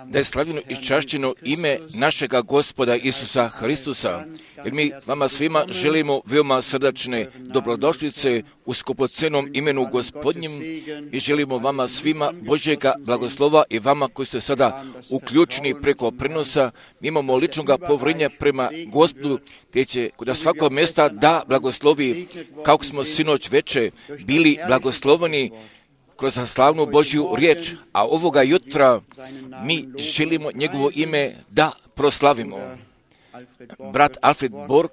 Da je slavljeno i čašćeno ime našega Gospoda Isusa Hristusa, jer mi vama svima želimo veoma srdačne dobrodošlice u skupocenom imenu Gospodnjem i želimo vama svima Božjega blagoslova i vama koji ste sada uključeni preko prenosa. Mi imamo ličnoga povjerenja prema Gospodu, gdje će kod svakog mjesta da blagoslovi, kako smo sinoć veče bili blagosloveni kroz slavnu Božju riječ, a ovoga jutra mi želimo njegovo ime da proslavimo. Brat Alfred Borg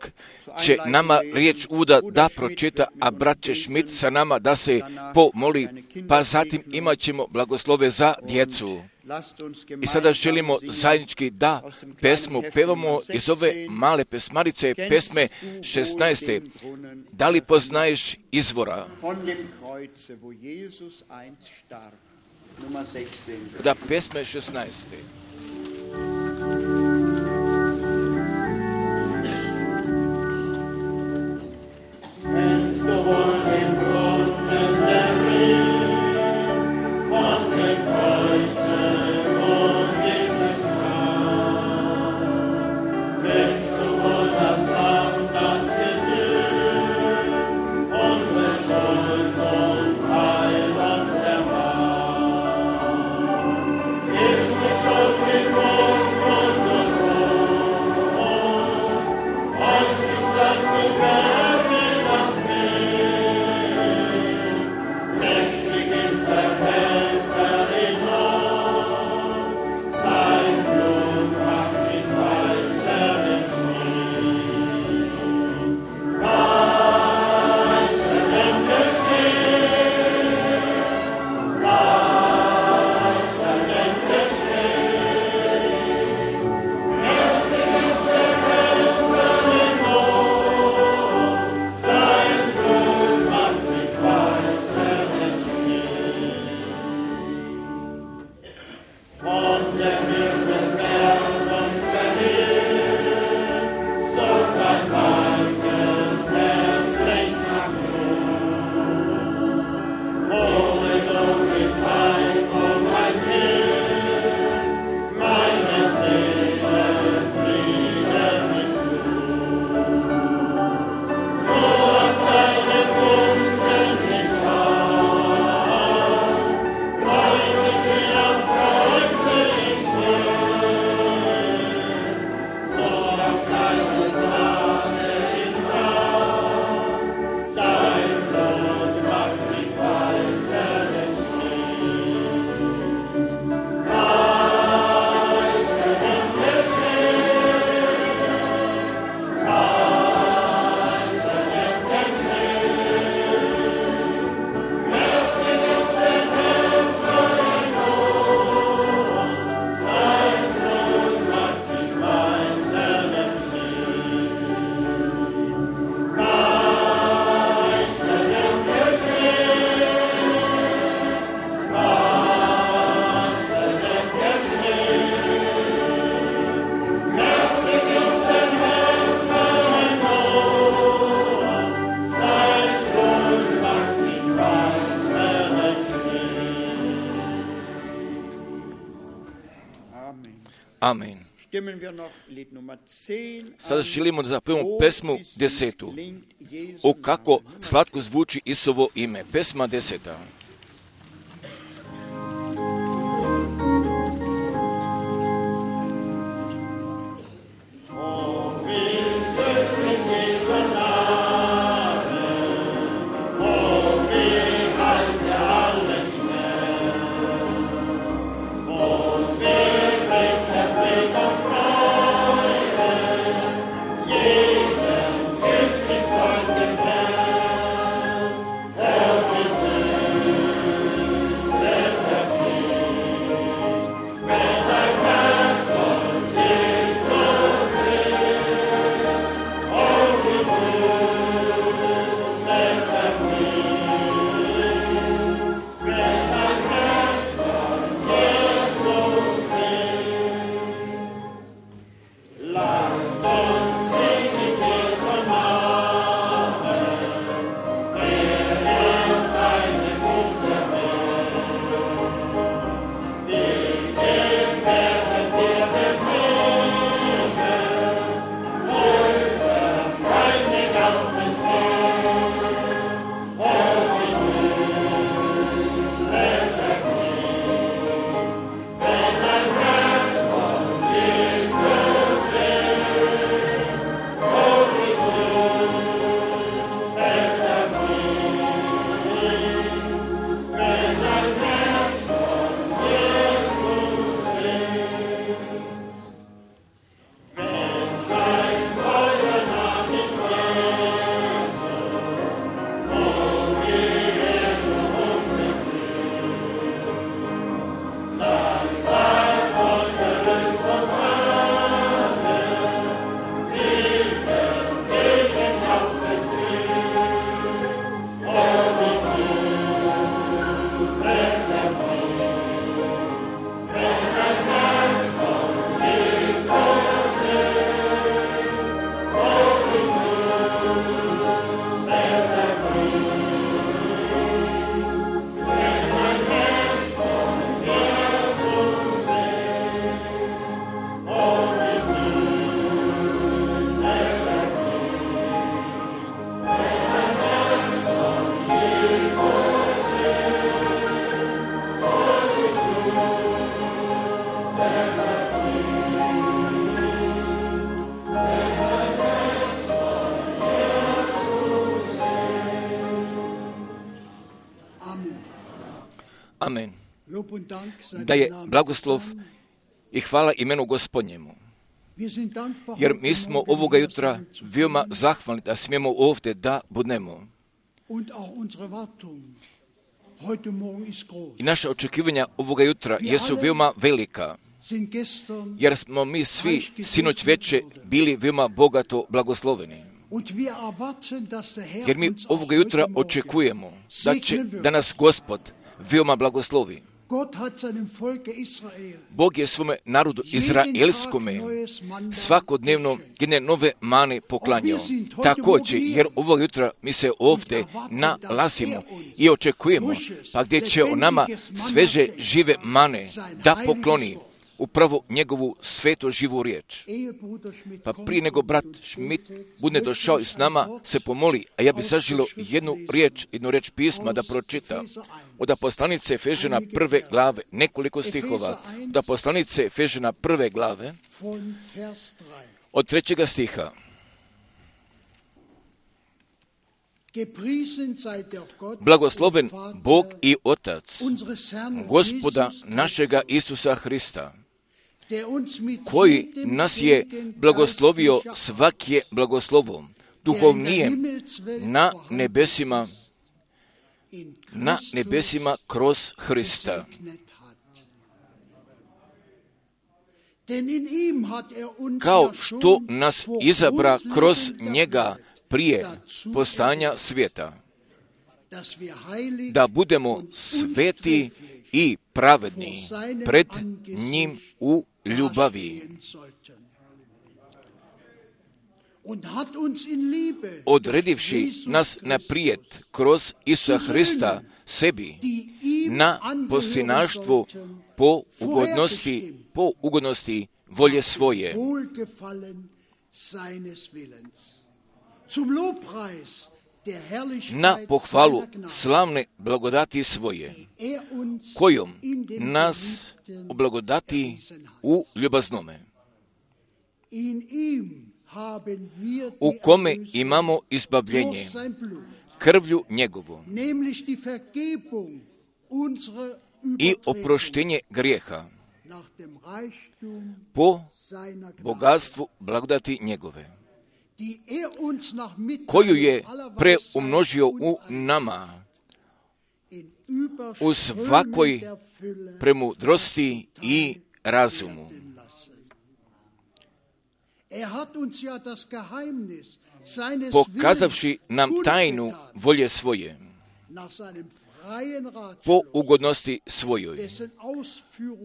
će nama riječ uvoda da pročita, a brat će Schmidt sa nama da se pomoli, pa zatim imat ćemo blagoslove za djecu. I sada želimo zajednički da pesmu pevamo iz ove male pesmarice, pesme 16. Da li poznaješ izvora? Da, pesme 16. Amen. Sada želimo da zapevamo pesmu 10. O kako slatko zvuči Isusovo ime. Pesma 10. Thank you. da je blagoslov i hvala imenu Gospodnjemu. Jer mi smo ovoga jutra veoma zahvalni da smijemo ovdje da budemo. I naše očekivanja ovoga jutra jesu veoma velika, jer smo mi svi sinoć veče bili veoma bogato blagosloveni. Jer mi ovoga jutra očekujemo da nas Gospod veoma blagoslovi. Bog je svome narodu izraelskome svakodnevno jedne nove mane poklanjao. Također, jer ovog jutra mi se ovdje nalazimo i očekujemo, pa gdje će o nama sveže žive mane da pokloni upravo njegovu sveto živu riječ. Pa prije nego brat Schmidt bude došao i s nama se pomoli, a ja bi saželio jednu riječ pisma da pročita. Od Aposlanice Efežana 1. glave, nekoliko stihova. Od Aposlanice Efežana 1. glave, od 3. stiha. Blagosloven Bog i Otac Gospoda našega Isusa Hrista, koji nas je blagoslovio svake blagoslovom, duhovnijem na nebesima kroz Hrista. Kao što nas izabra kroz njega prije postanja svijeta, da budemo sveti i pravedni pred njim u ljubavi. Odredivši nas naprijed kroz Isusa Hrista sebi na posljednaštvo po ugodnosti volje svoje. Na pohvalu slavne blagodati svoje, kojom nas oblagodati u ljubaznome, u kome imamo izbavljenje krvlju njegovom i oproštenje grijeha po bogatstvu blagodati njegove, koju je preumnožio u nama u svakoj premudrosti i razumu. Pokazavši nam tajnu volje svoje, po ugodnosti svojoj,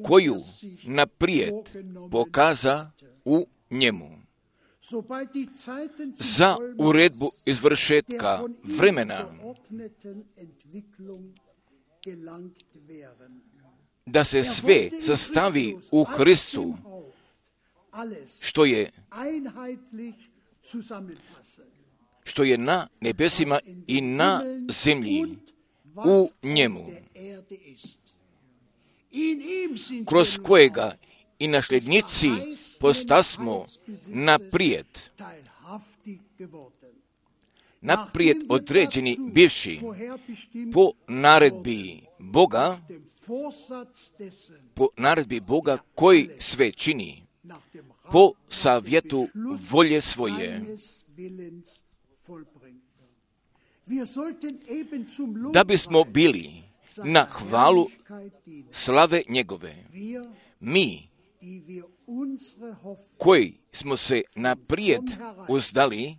koju naprijed pokaza u njemu, za uredbu izvršetka vremena, da se sve sastavi u Hristu, što je na nebesima i na zemlji u njemu, kroz kojega i nasljednici postasmo naprijed određeni bivši po naredbi Boga koji sve čini po savjetu volje svoje, da bismo bili na hvalu slave njegove, mi koji smo se naprijed uzdali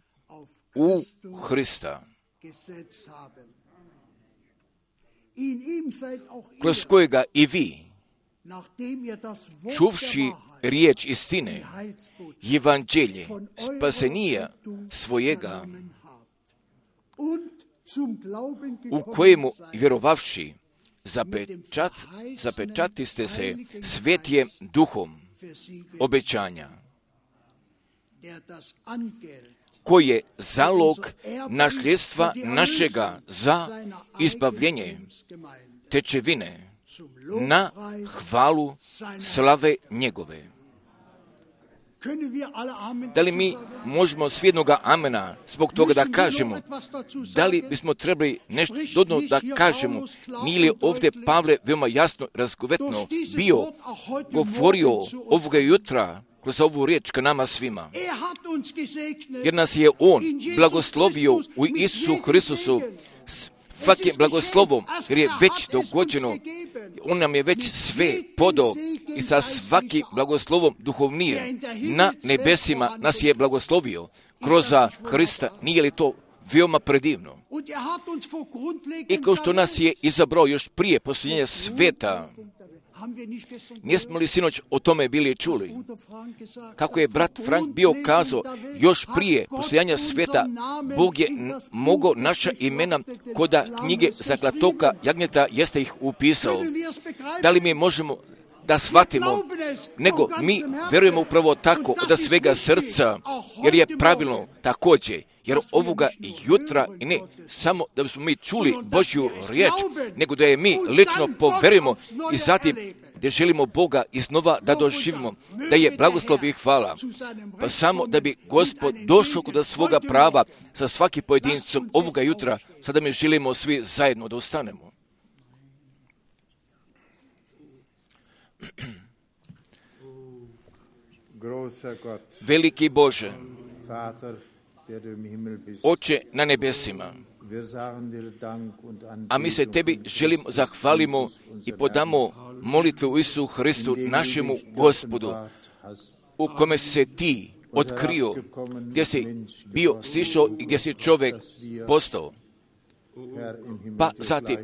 u Hrista, kroz kojega i vi, čuvši riječ istine, evanđelje spasenija svojega, u kojemu vjerovavši zapečatiste se svetijem duhom obećanja, koji je zalog nasljedstva našega za izbavljenje tečevine na hvalu slave njegove. Da li mi možemo s jednoga amena zbog toga da kažemo? Da li bismo trebali nešto dodano da kažemo? Nije li ovdje Pavle veoma jasno, razgovetno bio govorio ovoga jutra kroz ovu riječ ka nama svima? Jer nas je On blagoslovio u Isusu Hristusu svakim blagoslovom, jer je već dogođeno, On nam je već sve podao i sa svakim blagoslovom duhovnije na nebesima nas je blagoslovio kroz Hrista. Nije li to veoma predivno? I kao što nas je izabrao još prije posljednjenja sveta, nismo li sinoć o tome bili čuli? Kako je brat Frank bio kazao, još prije posljednja sveta, Bog je mogao naša imena kod knjige zaklatoka jagnjeta jeste ih upisao. Da li mi možemo da shvatimo, nego mi vjerujemo upravo tako od svega srca, jer je pravilno također. Jer ovoga jutra, i ne samo da bismo mi čuli Božju riječ, nego da je mi lično poverujemo i zatim da želimo Boga iznova da doživimo, da je blagoslov i hvala. Pa samo da bi Gospod došao kod svoga prava sa svakim pojedincom ovoga jutra, sada mi želimo svi zajedno da ostanemo. Veliki Bože, Oče na nebesima, a mi se Tebi želimo zahvalimo i podamo molitve u Isusu Hristu, našemu Gospodu, u kome se Ti otkrio, gdje si bio sišao i gdje si čovjek postao. Pa zatim,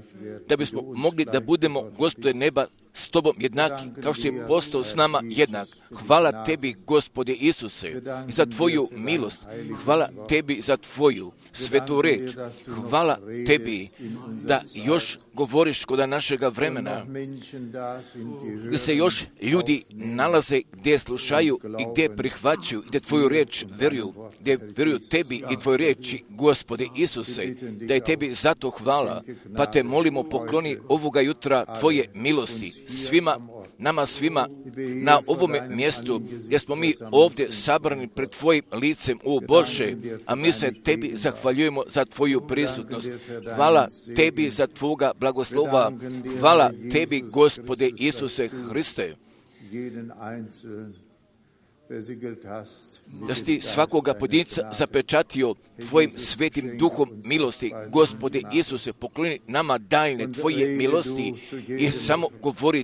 da bismo mogli da budemo, Gospode neba, s Tobom jednaki, kao što je postao s nama jednak. Hvala Tebi, Gospode Isuse, za Tvoju milost. Hvala Tebi za Tvoju svetu reč. Hvala Tebi da još govoriš kod našega vremena, gdje se još ljudi nalaze, gdje slušaju i gdje prihvaćaju, gdje Tvoju reč vjeruju, gdje vjeruju Tebi i Tvoje riječi, Gospode Isuse, da je Tebi zato hvala, pa Te molimo pokloni ovoga jutra Tvoje milosti nama svima na ovome mjestu gdje smo mi ovdje sabrani pred Tvojim licem, o Bože, a mi se Tebi zahvaljujemo za Tvoju prisutnost. Hvala Tebi za Tvoga blagoslova. Hvala Tebi, Gospode Isuse Hriste, da si Ti svakoga pojedinca zapečatio Tvojim svetim duhom milosti. Gospode Isuse, pokloni nama daljne Tvoje milosti i samo govori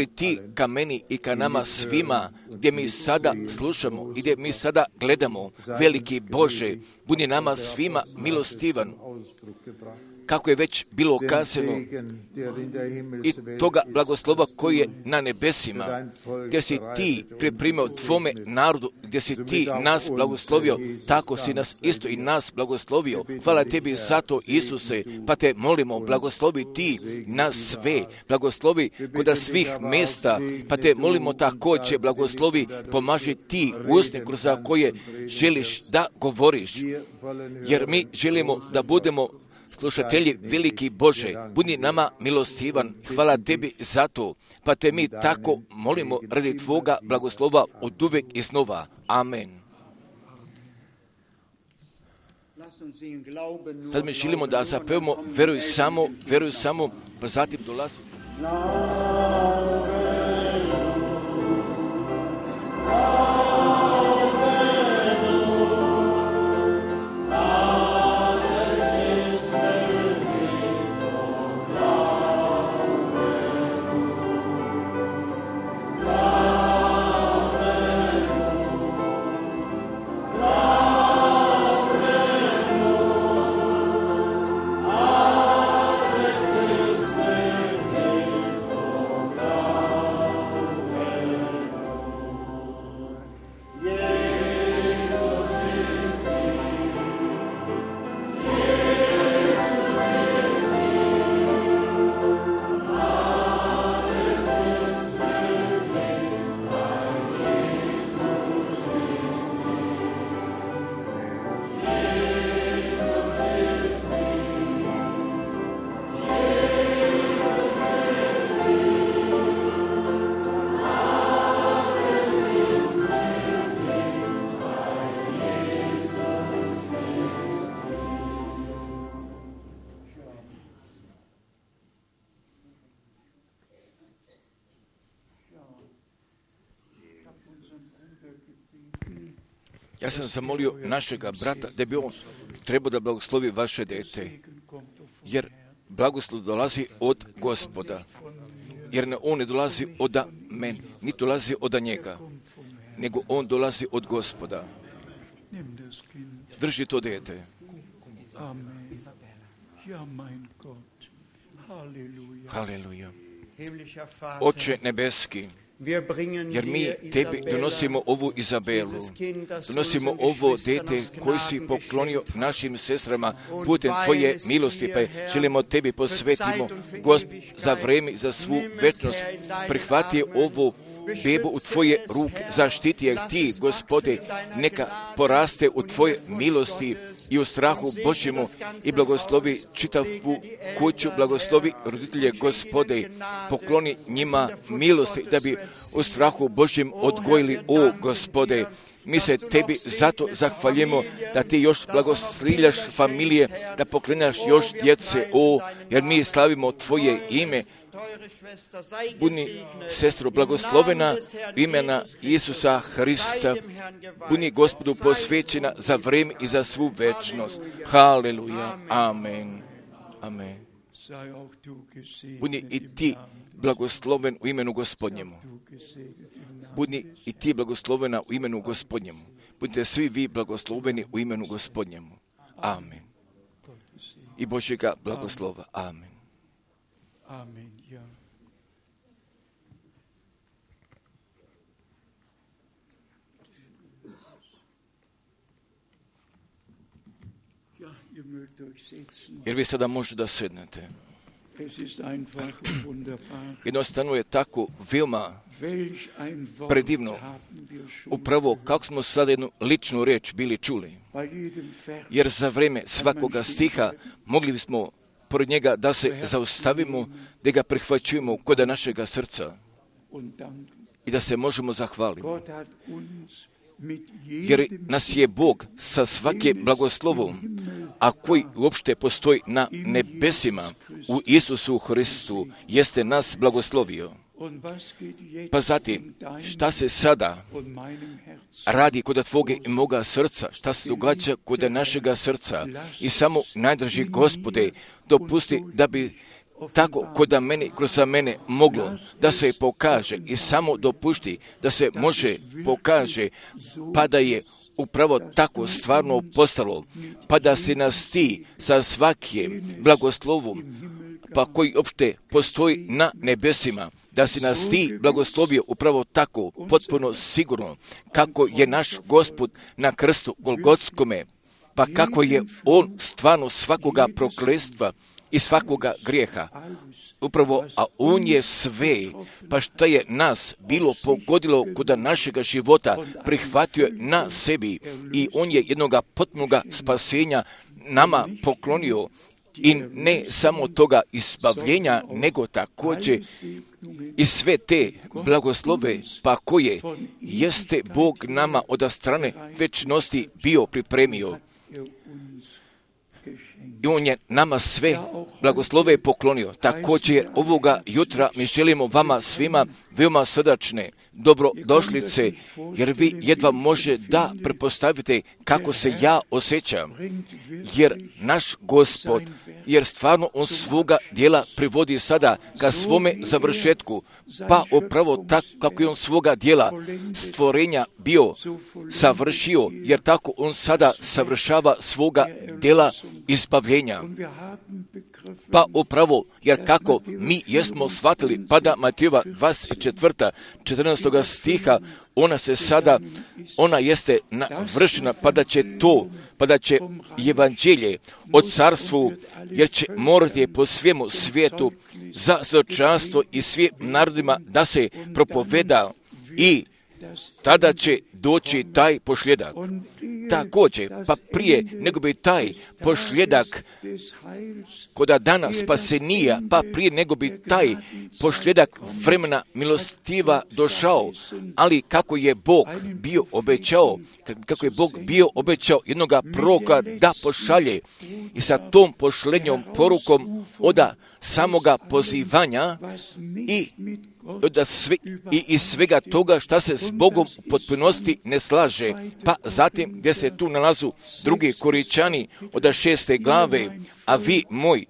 Ti ka meni i ka nama svima, gdje mi sada slušamo i gdje mi sada gledamo. Veliki Bože, budi nama svima milostivan, kako je već bilo kazano, i toga blagoslova koji je na nebesima, gdje si Ti pripremio Tvome narodu, gdje si Ti nas blagoslovio, tako si nas isto i nas blagoslovio. Hvala Tebi za to, Isuse, pa Te molimo, blagoslovi Ti nas sve, blagoslovi kod svih mjesta, pa Te molimo također, blagoslovi, pomaži Ti usne kroz koje želiš da govoriš, jer mi želimo da budemo slušatelji, veliki Bože, budi nama milostivan. Hvala Tebi za to, pa Te mi tako molimo radi Tvoga blagoslova od uvek i znova. Amen. Sad mi želimo da zapevamo veruj samo, pa zatim dolazi. God. Ja sam zamolio našega brata da bi on trebao da blagoslovi vaše dete, jer blagoslov dolazi od Gospoda, jer on ne dolazi od mene, niti dolazi od njega, nego on dolazi od Gospoda. Drži to dete. Haleluja. Oče nebeski, jer mi tebi donosimo ovu Izabelu, donosimo ovo dete koji si poklonio našim sestrama putem tvoje milosti, pa želimo tebi posvetimo, Gospod, za vreme, za svu večnost. Prihvati ovo bebu u tvoje ruke, zaštiti je ti, Gospode, neka poraste u tvoje milosti i u strahu Božjemu i blagoslovi čitavu kuću, blagoslovi roditelje, Gospode, pokloni njima milosti da bi u strahu Božjem odgojili, o Gospode. Mi se tebi zato zahvaljujemo da ti još blagoslivljaš familije, da pokrenaš još djece, jer mi slavimo tvoje ime. Budi sestro blagoslovena imena Isusa Hrista, budi Gospodu posvećena za vreme i za svu večnost. Haleluja, amen, amen. Budi i ti blagosloven u imenu Gospodnjemu. Budi i ti blagoslovena u imenu Gospodnjemu. Budite svi vi blagosloveni u imenu Gospodnjemu. Amen. I Božjega blagoslova. Amen. Amen, ja. Jer vi sada možete da sednete. Jednostavno je tako veoma predivno. Upravo kako smo sada jednu ličnu riječ bili čuli. Jer za vreme svakoga stiha mogli bismo pored njega da se zaustavimo, da ga prihvaćujemo kod našega srca i da se možemo zahvaliti. Jer nas je Bog sa svake blagoslovom, a koji uopšte postoji na nebesima u Isusu Hristu, jeste nas blagoslovio. Pa zatim, šta se sada radi kod tvoga i moga srca, šta se događa kod našega srca i samo najdraži Gospode, dopusti da bi tako kod mene, kroz mene moglo da se pokaže i samo dopušti da se može pokaže, pa da je upravo tako stvarno postalo, pa da se nas ti sa svakim blagoslovom, pa koji opšte postoji na nebesima, da si nas ti blagoslovio upravo tako, potpuno sigurno, kako je naš Gospod na krstu Golgotskome, pa kako je on stvarno svakoga prokletstva i svakoga grijeha. Upravo, a on je sve, pa šta je nas bilo pogodilo kod našega života, prihvatio je na sebi i on je jednoga potpunoga spasenja nama poklonio. I ne samo toga izbavljenja, nego također i sve te blagoslove, pa koje jeste Bog nama od strane večnosti bio pripremio. I on je nama sve blagoslove poklonio. Također ovoga jutra mi želimo vama svima veoma srdačne dobrodošlice, jer vi jedva može da pretpostavite kako se ja osjećam. Jer naš Gospod, jer stvarno on svoga djela privodi sada ka svome završetku, pa upravo tako kako je on svoga djela stvorenja bio savršio, jer tako on sada savršava svoga djela izbavljenja. Pa upravo, jer kako mi jesmo shvatili, pada Matejova 24. 14. stiha, ona jeste navršena, pa da će evanđelje o carstvu, jer će morati po svemu svijetu za svjedočanstvo i svim narodima da se propoveda i tada će doći taj pošljedak. Također, pa prije nego bi taj pošljedak koda dana spasenija, pa prije nego bi taj pošljedak vremena milostiva došao, ali kako je Bog bio obećao jednoga proroka da pošalje i sa tom pošlenjom porukom od samoga pozivanja i iz svega toga šta se s Bogom u potpunosti ne slaže. Pa zatim gdje se tu nalazu drugi Koričani od 6. glave, a vi moj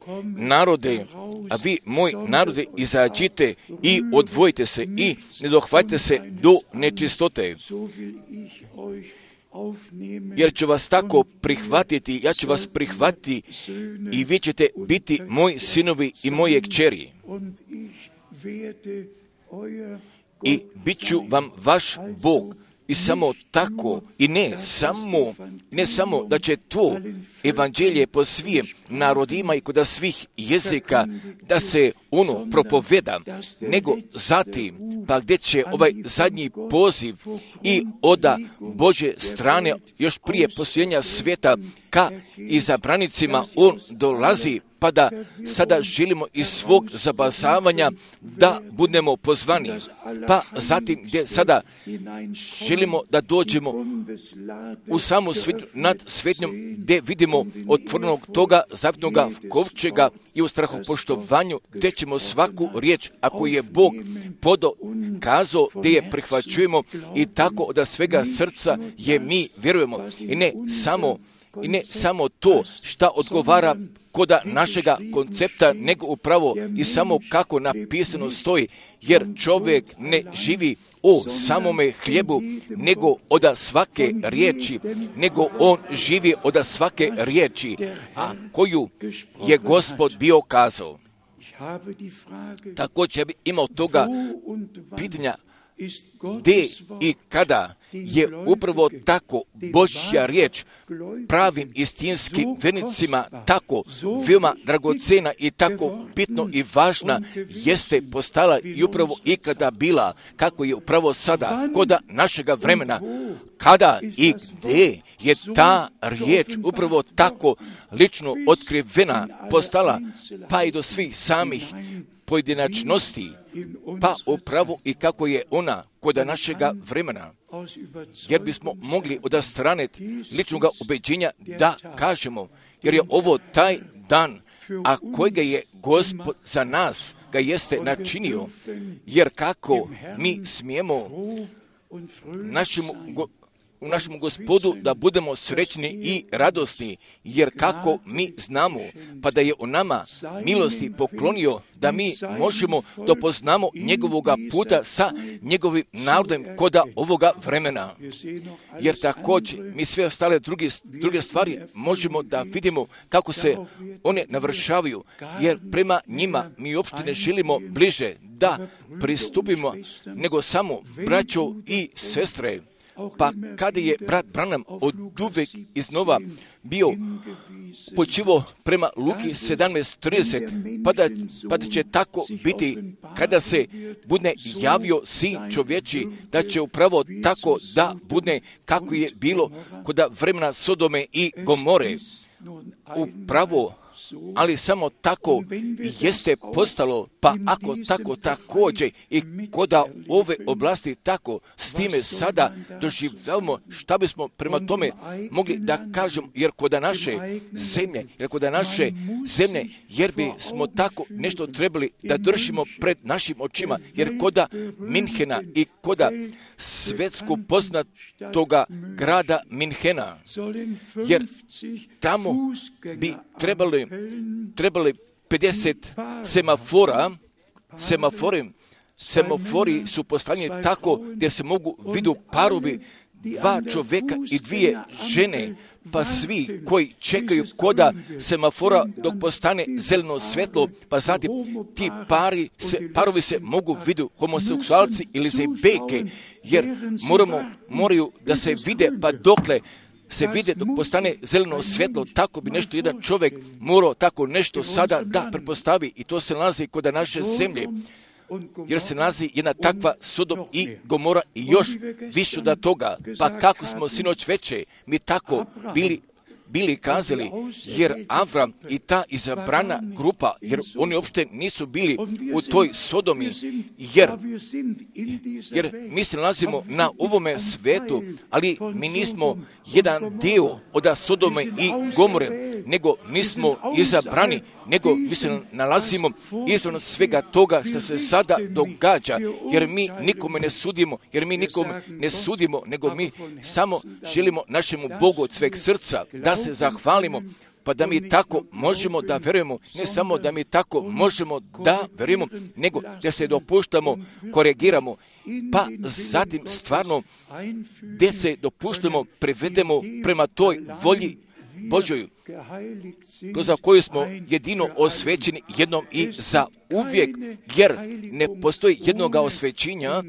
narode, izađite i odvojite se i ne dohvatite se do nečistote. Jer ću vas tako prihvatiti, ja ću vas prihvatiti i vi ćete biti moji sinovi i moje kćeri. I bit ću vam vaš Bog. I samo tako, i ne samo da će to evanđelje po svim narodima i kod svih jezika da se ono propoveda, nego zatim, pa gdje će ovaj zadnji poziv i od Božje strane još prije postojenja svijeta ka izabranicima on dolazi, pa da sada želimo iz svog zabazavanja da budemo pozvani. Pa zatim gdje sada želimo da dođemo u samu svetnju, nad svetnjom gdje vidimo otvorenog toga zavjetnoga kovčega i u strahopoštovanju gdje ćemo svaku riječ, ako je Bog kazao, gdje je prihvaćujemo i tako da svega srca je mi vjerujemo. I ne samo to šta odgovara koda našega koncepta, nego upravo i samo kako napisano stoji, jer čovjek ne živi o samome hljebu, nego od svake riječi, nego on živi od svake riječi, a koju je Gospod bio kazao. Također bi imao toga pitanja, gdje i kada je upravo tako Božja riječ pravim istinskim vernicima tako veoma dragocena i tako bitno i važna jeste postala i upravo ikada bila, kako je upravo sada koda našega vremena, kada i gdje je ta riječ upravo tako lično otkrivena postala, pa i do svih samih pojedinačnosti, pa upravo i kako je ona kod našega vremena. Jer bismo mogli od strane ličnog ubeđenja da kažemo, jer je ovo taj dan, a kojega je Gospod za nas ga jeste načinio, jer kako mi smijemo u našem Gospodu da budemo srećni i radosni, jer kako mi znamo, pa da je u nama milosti poklonio da mi možemo da poznamo njegovoga puta sa njegovim narodom koda ovoga vremena. Jer također mi sve ostale druge stvari možemo da vidimo kako se one navršavaju, jer prema njima mi uopšte ne želimo bliže da pristupimo, nego samo braćo i sestre. Pa kada je brat Branham od uvek iznova bio počivo prema Luki 17:30, pa da će tako biti kada se bude javio sin čovječi, da će upravo tako da bude kako je bilo kod vremena Sodome i Gomore. Upravo, ali samo tako jeste postalo, pa ako tako također i koda ove oblasti tako s time sada doživljavamo, šta bismo prema tome mogli da kažemo, jer koda naše zemlje, jer bi smo tako nešto trebali da držimo pred našim očima, jer koda Minhena i koda svjetsko poznatoga grada Minhena, jer tamo bi trebali 50 semafori su postavljeni tako gdje se mogu vidu parovi, 2 čovjeka i 2 žene, pa svi koji čekaju koda semafora dok postane zeleno svjetlo, pa zatim ti parovi se mogu vidu homoseksualci ili zebeke, jer moraju da se vide, pa dokle se vide dok postane zeleno svjetlo, tako bi nešto jedan čovjek morao tako nešto sada da pretpostavi, i to se nalazi kod naše zemlje, jer se nalazi jedna takva Sodom i Gomora i još više od toga. Pa kako smo sinoć veče mi tako bili kazali, jer Avram i ta izabrana grupa, jer oni uopšte nisu bili u toj Sodomi, jer mi se nalazimo na ovome svetu, ali mi nismo jedan dio od Sodome i Gomore, nego mi smo izabrani, nego mi se nalazimo izvan svega toga što se sada događa, jer mi nikome ne sudimo, nego mi samo želimo našemu Bogu od sveg srca da se zahvalimo, pa da mi tako možemo da verujemo, ne samo da mi tako možemo da verujemo, nego da se dopuštamo, korigiramo, pa zatim stvarno gdje se dopuštamo, prevedemo prema toj volji Božoj, za koju smo jedino osvećeni jednom i za uvijek, jer ne postoji jednoga osvećenja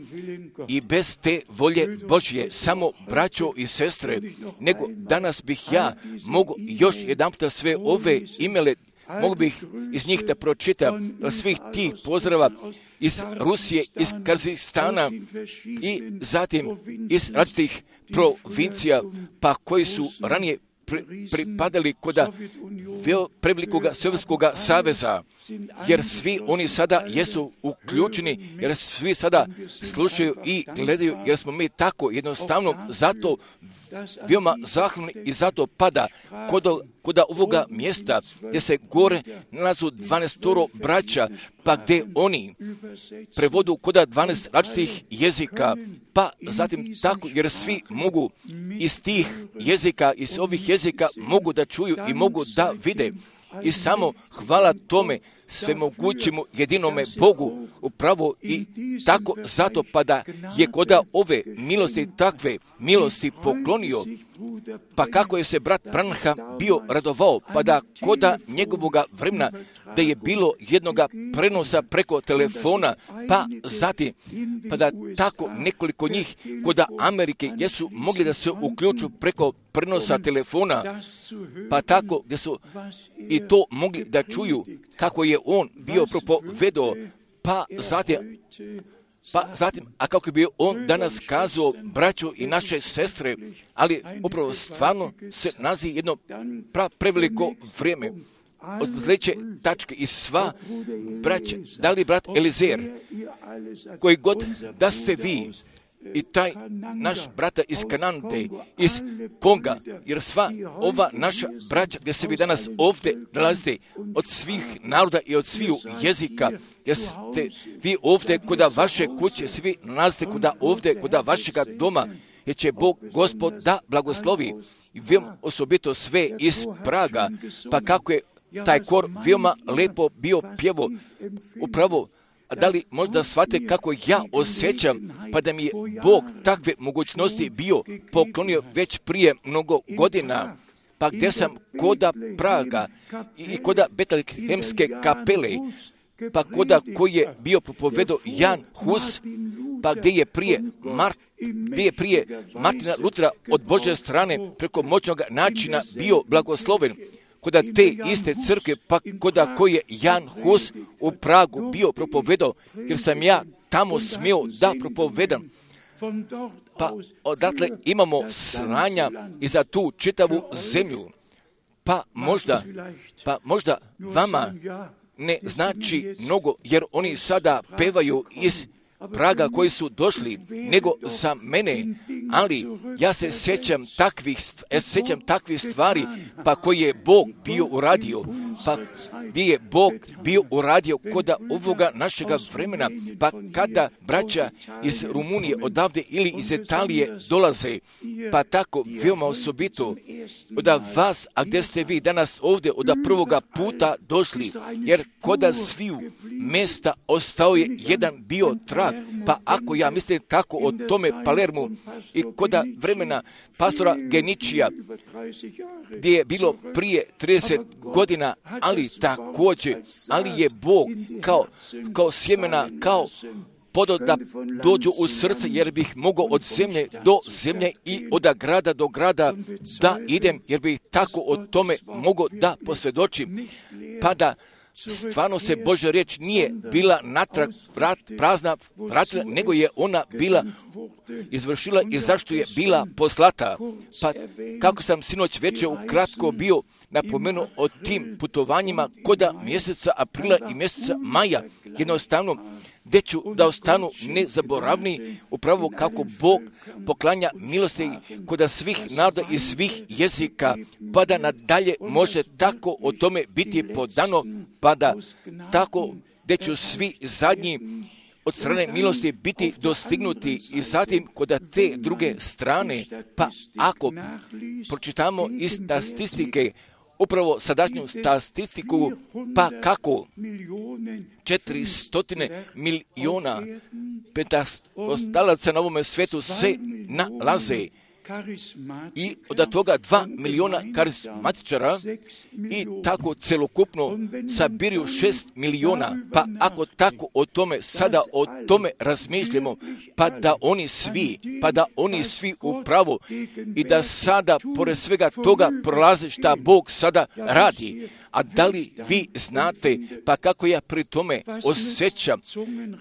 i bez te volje Božje, samo braćo i sestre, nego danas bih ja mogu još jedanputa sve ove imele, mogu bih iz njih da pročitam svih tih pozdrava iz Rusije, iz Kazahstana i zatim iz različitih provincija, pa koji su ranije pripadali kod prevelikoga Sovjetskoga saveza, jer svi oni sada jesu uključeni, jer svi sada slušaju i gledaju, jer smo mi tako jednostavno zato veoma zahvalni i zato pada kod ovoga mjesta gdje se gore nalazu 12 braća, pa gdje oni prevodu kod 12 različitih jezika, pa zatim tako, jer svi mogu iz tih jezika, iz ovih jezika mogu da čuju i mogu da vide. I samo hvala tome svemogućemu jedinome Bogu upravo i tako zato pa da je koda ove milosti takve milosti poklonio, pa kako je se brat Branham bio radovao, pa da koda njegovoga vremena da je bilo jednoga prenosa preko telefona, pa zatim pa da tako nekoliko njih koda Amerike jesu mogli da se uključu preko prenosa telefona, pa tako gdje su i to mogli da čuju kako je on bio propovedao, pa zatim, a kako bi on danas kazao, braćo i naše sestre, ali upravo stvarno se nazi jedno preveliko vrijeme. Od sljedeće tačke i sva braća, da li brat Elizer, koji god da ste vi, i taj naš brata iz Kanade, iz Konga, jer sva ova naša braća gdje se vi danas ovdje nalazite od svih naroda i od svih jezika, jer ste vi ovdje kod vaše kuće, svi nalazite ovdje kod vašega doma, jer će Bog Gospod da blagoslovi i veoma osobito sve iz Praga, pa kako je taj kor veoma lepo bio pjevo, upravo. A da li možda shvate kako ja osjećam, pa da mi je Bog takve mogućnosti bio poklonio već prije mnogo godina, pa gdje sam koda Praga i koda Betlehemske kapele, pa koda koji je bio propovedao Jan Hus, pa gdje je prije Martina Lutera od Božje strane preko moćnog načina bio blagosloven, koda te iste crkve, pa koda koji je Jan Hus u Pragu bio propovedao, jer sam ja tamo smio da propovedam. Pa odatle imamo slanja i za tu čitavu zemlju. Pa možda vama ne znači mnogo, jer oni sada pevaju iz Praga koji su došli, nego za mene, ali ja se sjećam takvih stvari, pa koji je Bog bio uradio, pa gdje je Bog bio uradio kod ovoga našega vremena, pa kada braća iz Rumunije odavde ili iz Italije dolaze, pa tako veoma osobito od vas, a gdje ste vi danas ovdje od prvoga puta došli, jer kod sviju mjesta ostao je jedan bio trag, pa ako ja mislim tako o tome Palermu i koda vremena pastora Geničija, gdje je bilo prije 30 godina, ali također, ali je Bog kao sjemena, kao podao da dođu u srce, jer bih mogao od zemlje do zemlje i od grada do grada da idem, jer bih tako o tome mogao da posvjedočim, pa da stvarno se Božja riječ nije bila natrag prazna vratila, nego je ona bila izvršila i zašto je bila poslata. Pa kako sam sinoć večer ukratko bio napomenuo o tim putovanjima koda mjeseca aprila i mjeseca maja, jednostavno gdje ću da ostanu nezaboravni upravo kako Bog poklanja milosti koda svih naroda i svih jezika, pa da nadalje može tako o tome biti podano, pa da tako gdje ću svi zadnji od strane milosti biti dostignuti i zatim kod te druge strane, pa ako pročitamo iz statistike, upravo sadašnju statistiku, pa kako 400 miliona pentastalaca na ovome svijetu se nalaze i od toga 2 miliona karizmatičara i tako celokupno sabiruju 6 miliona, pa ako tako o tome sada o tome razmišljamo, pa da oni svi upravo i da sada pored svega toga prolaze šta Bog sada radi. A da li vi znate pa kako ja pri tome osjećam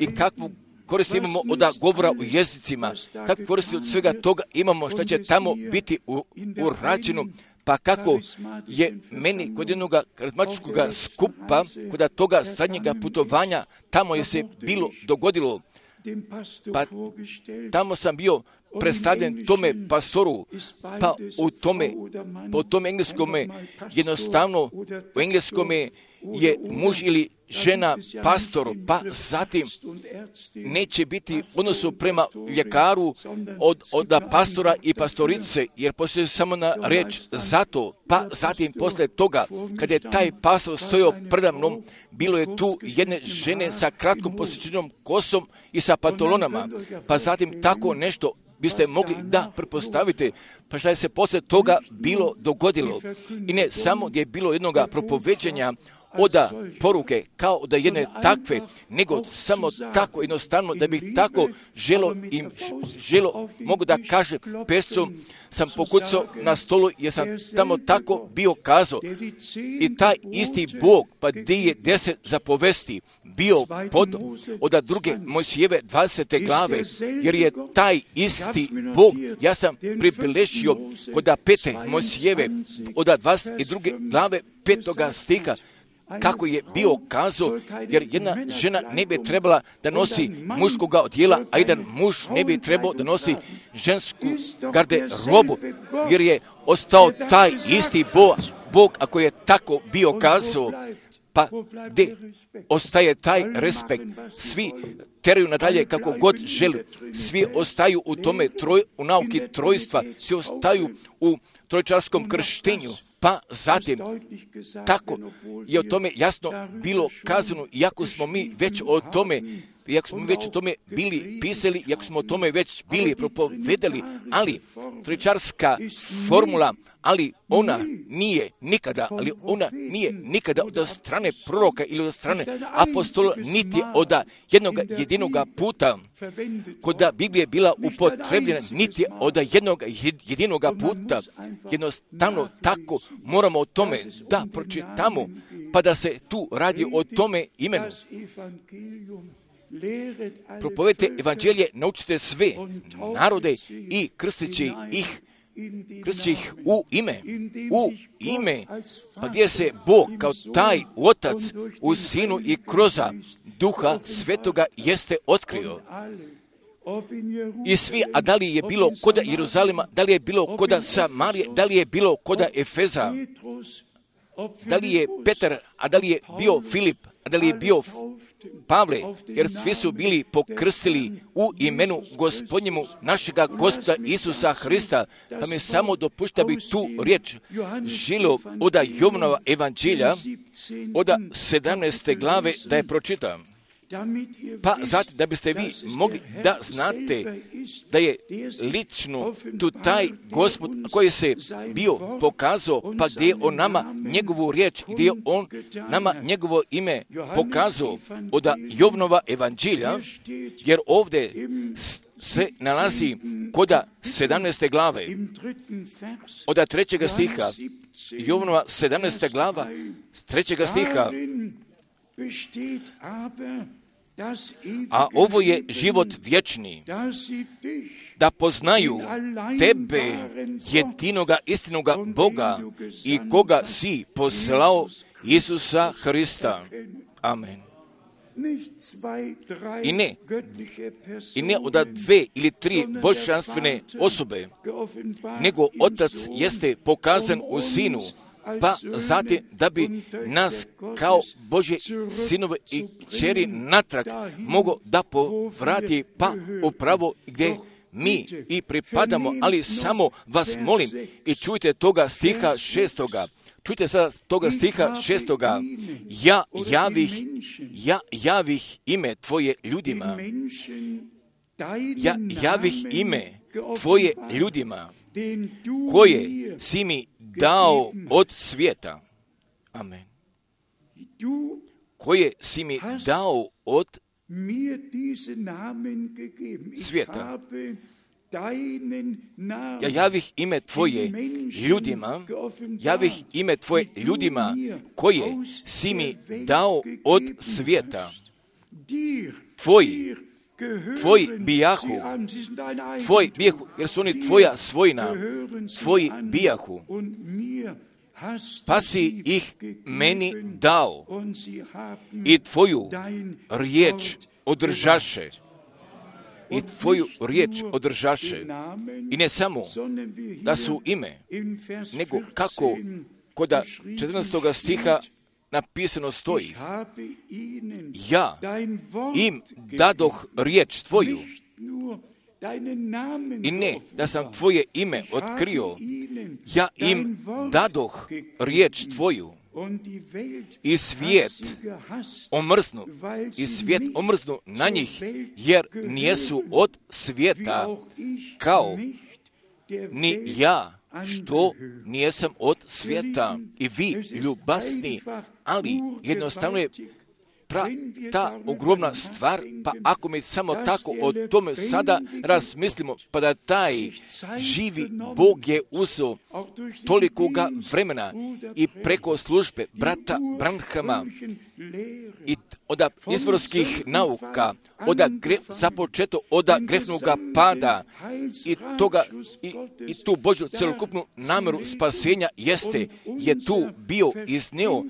i kakvu koristi imamo od govora u jezicima, kakvu koristi od svega toga imamo šta će tamo biti urađeno, pa kako je meni kod jednog karizmatičkog skupa, kod toga zadnjega putovanja, tamo je se bilo dogodilo, pa tamo sam bio predstavljen tome pastoru, pa po tome engleskome, jednostavno u engleskome je muž ili žena pastor, pa zatim neće biti u odnosu prema ljekaru od pastora i pastorice, jer postoji samo na riječ zato, pa zatim posle toga, kad je taj pastor stojao predamnom, bilo je tu jedne žene sa kratkom posjećenom kosom i sa pantalonama, pa zatim tako nešto biste mogli da pretpostavite, pa šta je se posle toga bilo dogodilo. I ne samo gdje je bilo jednoga propoveđenja od poruke kao da jedne takve, nego samo tako jednostavno da bih tako želo mogu da kažem, pescom sam pokucao na stolu jer sam tamo tako bio kazao. I taj isti Bog, pa gdje je 10 zapovesti bio pod od druge Mojsijeve 20. glave, jer je taj isti Bog, ja sam pribilešio kod 5. Mojsijeve od 22. glave 5. stiha, kako je bio kazao, jer jedna žena ne bi trebala da nosi muškoga odjela, a jedan muž ne bi trebao da nosi žensku garderobu, jer je ostao taj isti Bog, ako je tako bio kazao, pa gdje ostaje taj respekt, svi teraju nadalje kako god želi, svi ostaju u tome u nauki trojstva, svi ostaju u trojčarskom krštenju, pa zatim tako je o tome jasno bilo kazano, iako smo mi već o tome bili pisali, iako smo o tome već bili propovedali, ali trojčarska formula, ali ona nije nikada od strane proroka ili od strane apostola, niti od jedinoga puta kod Biblije bila upotrebljena, niti od jedinoga puta. Jednostavno tako moramo o tome da pročitamo, pa da se tu radi o tome imenu. Propovedite evanđelje, naučite sve narode i krsteći ih u ime, pa gdje se Bog kao taj Otac u Sinu i kroz Duha Svetoga jeste otkrio. I svi, a da li je bilo koda Jeruzalema, da li je bilo koda Samarije, da li je bilo koda Efeza, da li je Petar, a da li je bio Filip, a da li je bio Pavle, jer svi su bili pokrstili u imenu Gospodnjemu našega Gospoda Isusa Hrista, pa mi samo dopušta bi tu riječ želio od Jovanova evanđelja, od 17. glave da je pročitam. Pa zato da biste vi mogli da znate da je lično tu taj Gospod koji se bio pokazao, pa gdje je on nama njegovu riječ, gdje je on nama njegovo ime pokazao od Jovanova evanđelja, jer ovdje se nalazi kod 17. glave, od 3. stiha, Jovanova 17. glava, 3. stiha, A ovo je život vječni, da poznaju tebe, jedinoga istinoga Boga i koga si poslao, Isusa Hrista. Amen. I ne od 2 ili 3 božanstvene osobe, nego Otac jeste pokazan u Sinu, pa zatim da bi nas kao Božje sinove i kćeri natrag mogo da povrati pa upravo gdje mi i pripadamo, ali samo vas molim i čujte toga stiha 6. Čujte sada toga stiha 6. Ja javih ime Tvoje ljudima. Ja javih ime Tvoje ljudima, koje si mi dao od svijeta. Amen. Koje si mi dao od svijeta. Ja javih ime Tvoje ljudima, javih ime Tvoje ljudima, koje si mi dao od svijeta. Tvoji bijahu, jer su oni Tvoja svojina, Tvoji bijahu, pa si ih meni dao i Tvoju riječ održaše. I Tvoju riječ održaše. I ne samo da su ime, nego kako kod 14. stiha napisano stoji: ja im dadoh riječ Tvoju. I ne da sam Tvoje ime otkrio, ja im dadoh riječ Tvoju. I svijet omrznu na njih, jer nijesu od svijeta, kao ni ja, što nijesam od svijeta. I vi, ljubasni, ali jednostavno je ta ogromna stvar, pa ako mi samo tako o tome sada razmislimo, pa da taj živi Bog je uzeo tolikoga vremena i preko službe brata Branhama i od izvorskih nauka, započeto od grefnoga pada i tu Božju celokupnu namjeru spasenja je tu bio iznio,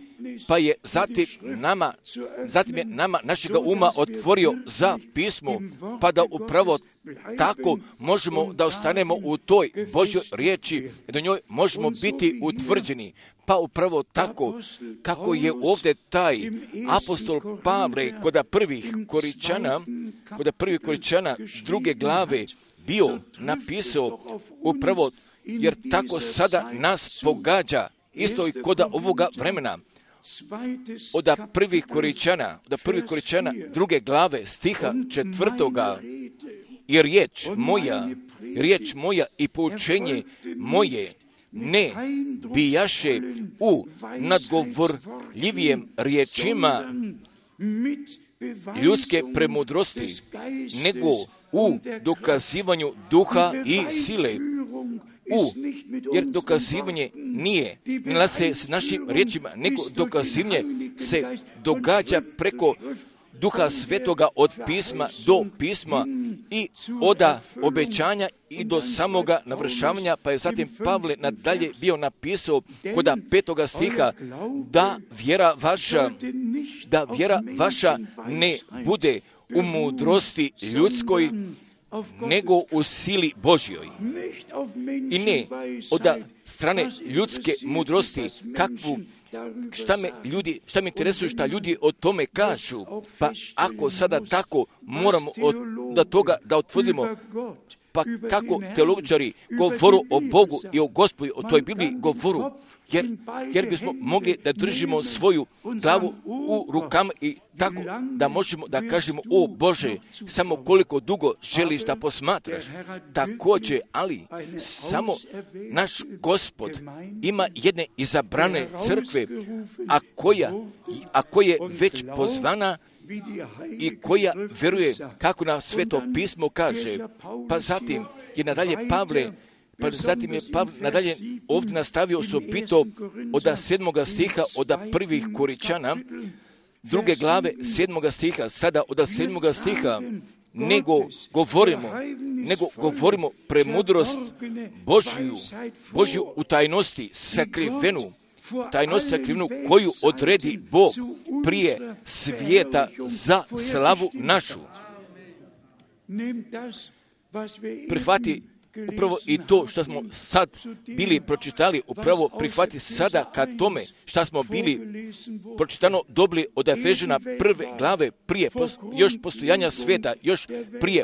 pa je zatim je nama našega uma otvorio za pismo, pa da upravo tako možemo da ostanemo u toj Božjoj riječi i do njoj možemo biti utvrđeni. Pa upravo tako kako je ovdje taj apostol Pavle kod prvih Koričana 2. glave bio napisao upravo, jer tako sada nas pogađa isto i kod ovoga vremena. Od prvih Koričana 2. glave stiha 4. I riječ moja i poučenje moje ne bijaše u nadgovorljivijem riječima ljudske premudrosti, nego u dokazivanju duha i sile. Jer dokazivanje nije se s našim riječima, nego dokazivanje se događa preko Duha Svetoga od pisma do pisma i od obećanja i do samoga navršavanja, pa je zatim Pavle nadalje bio napisao kod 5. stiha da vjera vaša ne bude u mudrosti ljudskoj, nego u sili Božjoj. I ne od strane ljudske mudrosti, šta me interesuje šta ljudi o tome kažu, pa ako sada tako moramo od toga da otvrdimo, pa kako teologičari govoru o Bogu i o Gospodu, o toj Bibliji govoru, jer bismo mogli da držimo svoju glavu u rukama i tako da možemo da kažemo: o Bože, samo koliko dugo želiš da posmatraš. Također, ali samo naš Gospod ima jedne izabrane crkve, a koja je već pozvana i koja vjeruje kako na Sveto pismo kaže. Pa zatim je nadalje Pavle nadalje ovdje nastavio osobito od 7. stiha od prvih Koričana 2. glave 7. stiha, sada od 7. stiha, nego govorimo premudrost Božju u tajnosti sakrivenu, koju odredi Bog prije svijeta za slavu našu. Prihvati upravo i to što smo sad bili pročitali, upravo prihvati sada ka tome što smo bili pročitano dobili od Efežana 1. glave prije još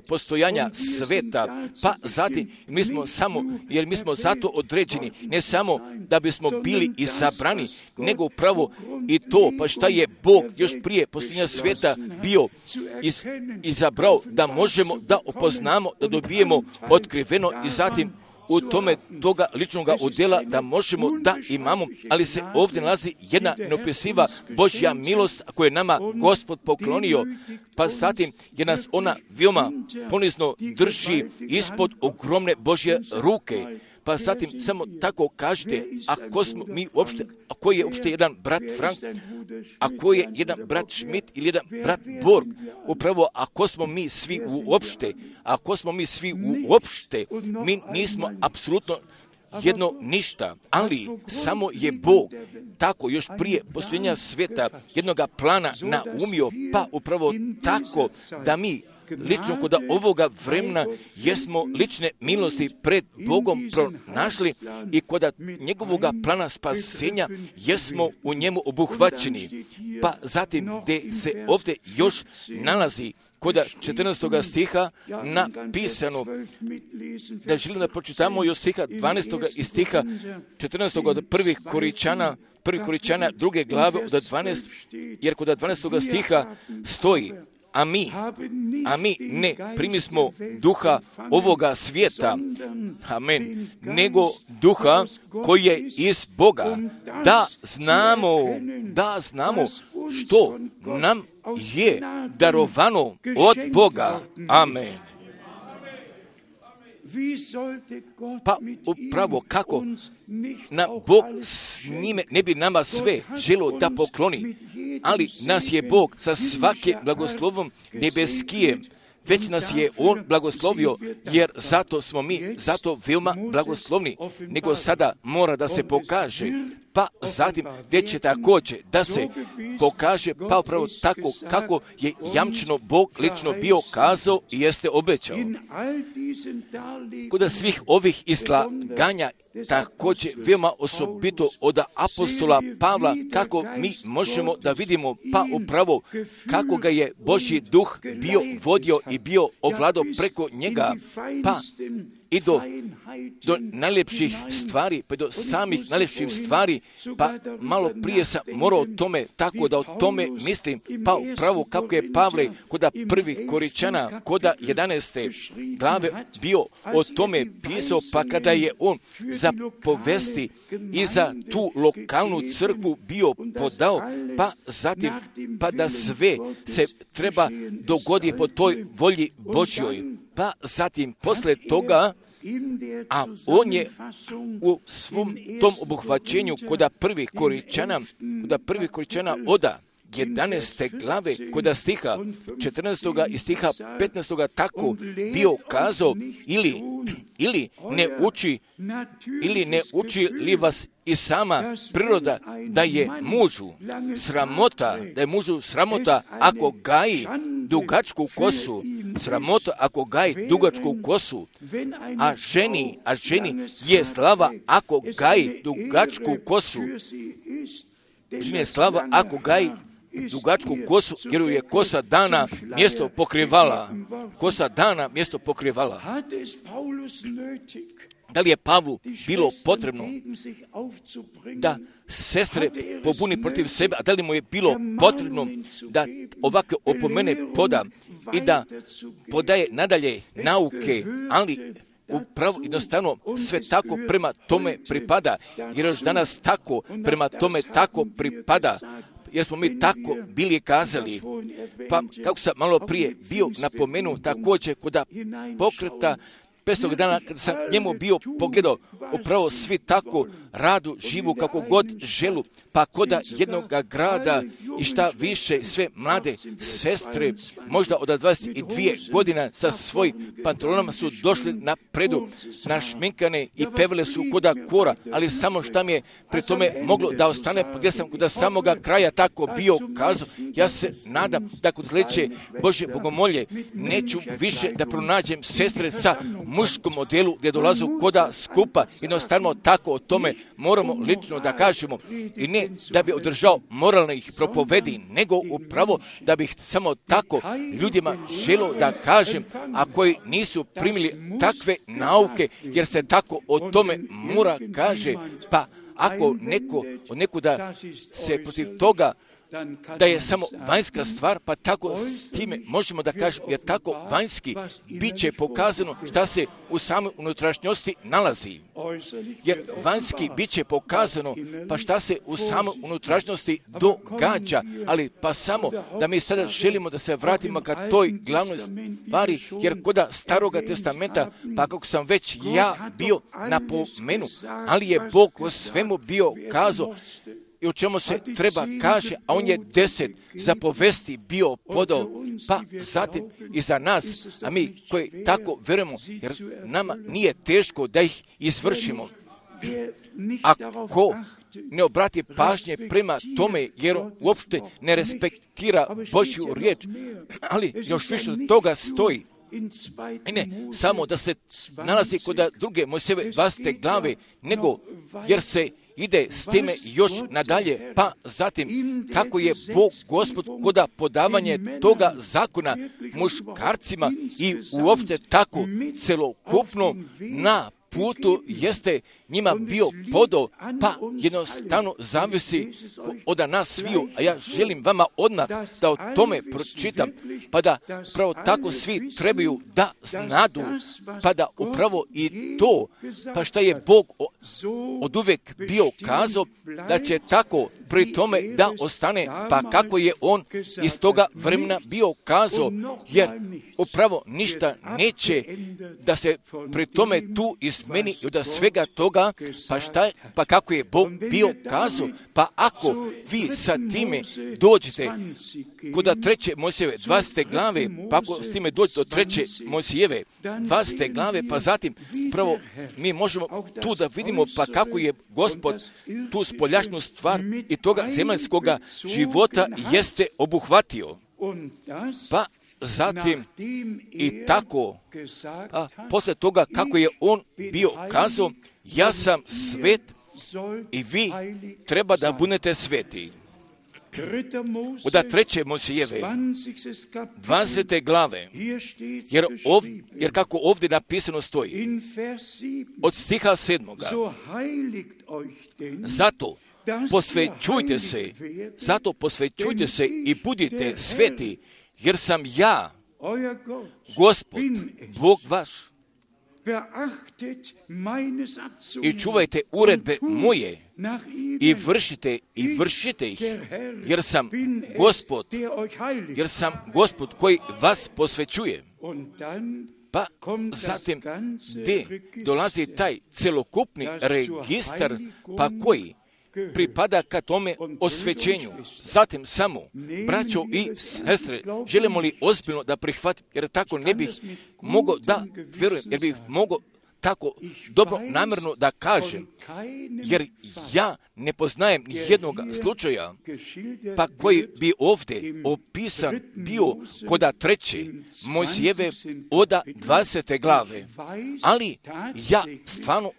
postojanja sveta, pa zatim jer mi smo zato određeni, ne samo da bismo bili izabrani, nego upravo i to, pa šta je Bog još prije postojanja sveta bio izabrao, da možemo da opoznamo, da dobijemo otkriveno i zatim u tome toga ličnoga udjela da možemo da imamo, ali se ovdje nalazi jedna neopisiva Božja milost koju je nama Gospod poklonio, pa zatim je nas ona veoma ponizno drži ispod ogromne Božje ruke. Pa zatim samo tako kažete, ako je uopšte jedan brat Frank, ako je jedan brat Schmidt ili jedan brat Borg, upravo ako smo mi svi uopšte, mi nismo apsolutno jedno ništa, ali samo je Bog tako još prije postojanja sveta jednoga plana naumio, pa upravo tako da mi lično kod ovoga vremena jesmo lične milosti pred Bogom pronašli i kod njegovoga plana spasenja jesmo u njemu obuhvaćeni. Pa zatim gdje se ovdje još nalazi kod 14. stiha napisano, da želim da pročitamo još stiha 12. i stiha 14. od 1. Koričana 2. glave od 12, jer kod 12. stiha stoji, a mi ne primismo duha ovoga svijeta, amen, nego duha koji je iz Boga, da znamo što nam je darovano od Boga, amen. Pa upravo kako na Bog s njime ne bi nama sve želio da pokloni, ali nas je Bog sa svake blagoslovom nebeskije, već nas je On blagoslovio, jer zato smo mi veoma blagoslovni, nego sada mora da se pokaže, pa zatim gdje će također da se pokaže, pa upravo tako kako je jamčeno Bog lično bio kazao i jeste obećao. Kod svih ovih izlaganja također veoma osobito od apostola Pavla, kako mi možemo da vidimo, pa upravo kako ga je Božji duh bio vodio i bio ovladao preko njega, pa i do najljepših stvari, pa do samih najljepših stvari, pa malo prije sam morao o tome, tako da o tome mislim, pa upravo kako je Pavle kod 1. Koričana, kod 11. glave bio o tome pisao, pa kada je on za povesti i za tu lokalnu crkvu bio podao, pa zatim, pa da sve se treba dogoditi po toj volji Božjoj, pa zatim posle toga, a on je u svom tom obuhvaćenju kod 1. Koričana od 11. glave kod stiha 14. i stiha 15. tako bio kazao, ili ne uči li vas i sama priroda da je mužu sramota ako gaji dugačku kosu, a ženi je slava ako gaji dugačku kosu. Ženi je slava ako gaji dugačku kosu, jer je kosa dana mjesto pokrivala. Da li je Pavlu bilo potrebno da sestre pobuni protiv sebe, a da li mu je bilo potrebno da ovakve opomene poda i da podaje nadalje nauke, ali upravo jednostavno sve tako prema tome pripada, jer još danas tako prema tome tako pripada, jer smo mi tako bili kazali. Pa kako sam malo prije bio napomenuo također kod pokreta 500 dana kad sam njemu bio pogledao, upravo svi tako radu, živu kako god želu, pa koda jednog grada i šta više sve mlade sestre, možda od 22 godina sa svojim pantalonama su došli na predu, našminkane i pevele su koda kora, ali samo šta mi je pri tome moglo da ostane, gdje sam kod samoga kraja tako bio kazao, ja se nadam da kod sljedeće Božje bogomolje neću više da pronađem sestre sa muškom modelu gdje dolazu koda skupa, jednostavno tako o tome moramo lično da kažemo i ne da bi održao moralnih propovedi, nego upravo da bih samo tako ljudima želio da kažem, a koji nisu primili takve nauke, jer se tako o tome mora kaže, pa ako neko od nekuda se protiv toga da je samo vanjska stvar, pa tako s time možemo da kažemo, jer tako vanjski bit će pokazano šta se u samoj unutrašnjosti nalazi. Jer vanjski bit će pokazano, pa šta se u samoj unutrašnjosti događa, ali pa samo da mi sada želimo da se vratimo ka toj glavnoj stvari, jer koda Staroga testamenta, pa kako sam već ja bio napomenu, ali je Bog o svemu bio kazao, i o čemu se treba kaže, a on je 10 zapovesti bio podao, pa zatim i za nas, a mi koji tako verujemo, jer nama nije teško da ih izvršimo. Ako ne obrati pažnje prema tome, jer on uopšte ne respektira Božju riječ, ali još više od toga stoji. I ne samo da se nalazi kod druge Mojsijeve 20. glave, nego jer se ide s time još nadalje, pa zatim kako je Bog Gospod koda podavanje toga zakona muškarcima i uopšte tako celokupno na putu jeste njima bio podao, pa jednostavno zavisi od nas sviju, a ja želim vama odmah da o tome pročitam, pa da pravo tako svi trebaju da znadu, pa da upravo i to, pa šta je Bog od uvek bio kazao, da će tako pri tome da ostane, pa kako je on iz toga vremena bio kazao, jer upravo ništa neće da se pri tome tu izmeni i od svega toga, pa kako je Bog bio kazao, pa ako vi sa time dođete kod 3. Mojsijeve 20. glave, pa ako s time dođete do 3. Mojsijeve 20. glave, pa zatim prvo mi možemo tu da vidimo pa kako je Gospod tu spoljašnju stvar i toga zemaljskoga života jeste obuhvatio. Pa zatim i tako, a posle toga kako je on bio kazao, ja sam svet i vi treba da budete sveti. Od 3. Mojsijeve 20. glave, jer kako ovdje napisano stoji, od stiha 7. Zato posvećujte se i budite sveti, jer sam ja, Gospod, Bog vaš. I čuvajte uredbe moje i vršite ih, jer sam Gospod koji vas posvećuje. Pa zatim gdje dolazi taj celokupni registar, pa koji pripada ka tome osvećenju. Zatim samo, braćo i sestre, želimo li ozbiljno da prihvatimo, jer tako ne bih mogao da vjerujem, jer bih mogao tako dobro namjerno da kažem, jer ja ne poznajem ni jednog slučaja, pa koji bi ovdje opisan bio kod 3. Mojsijeve od 20. glave, ali ja stvarno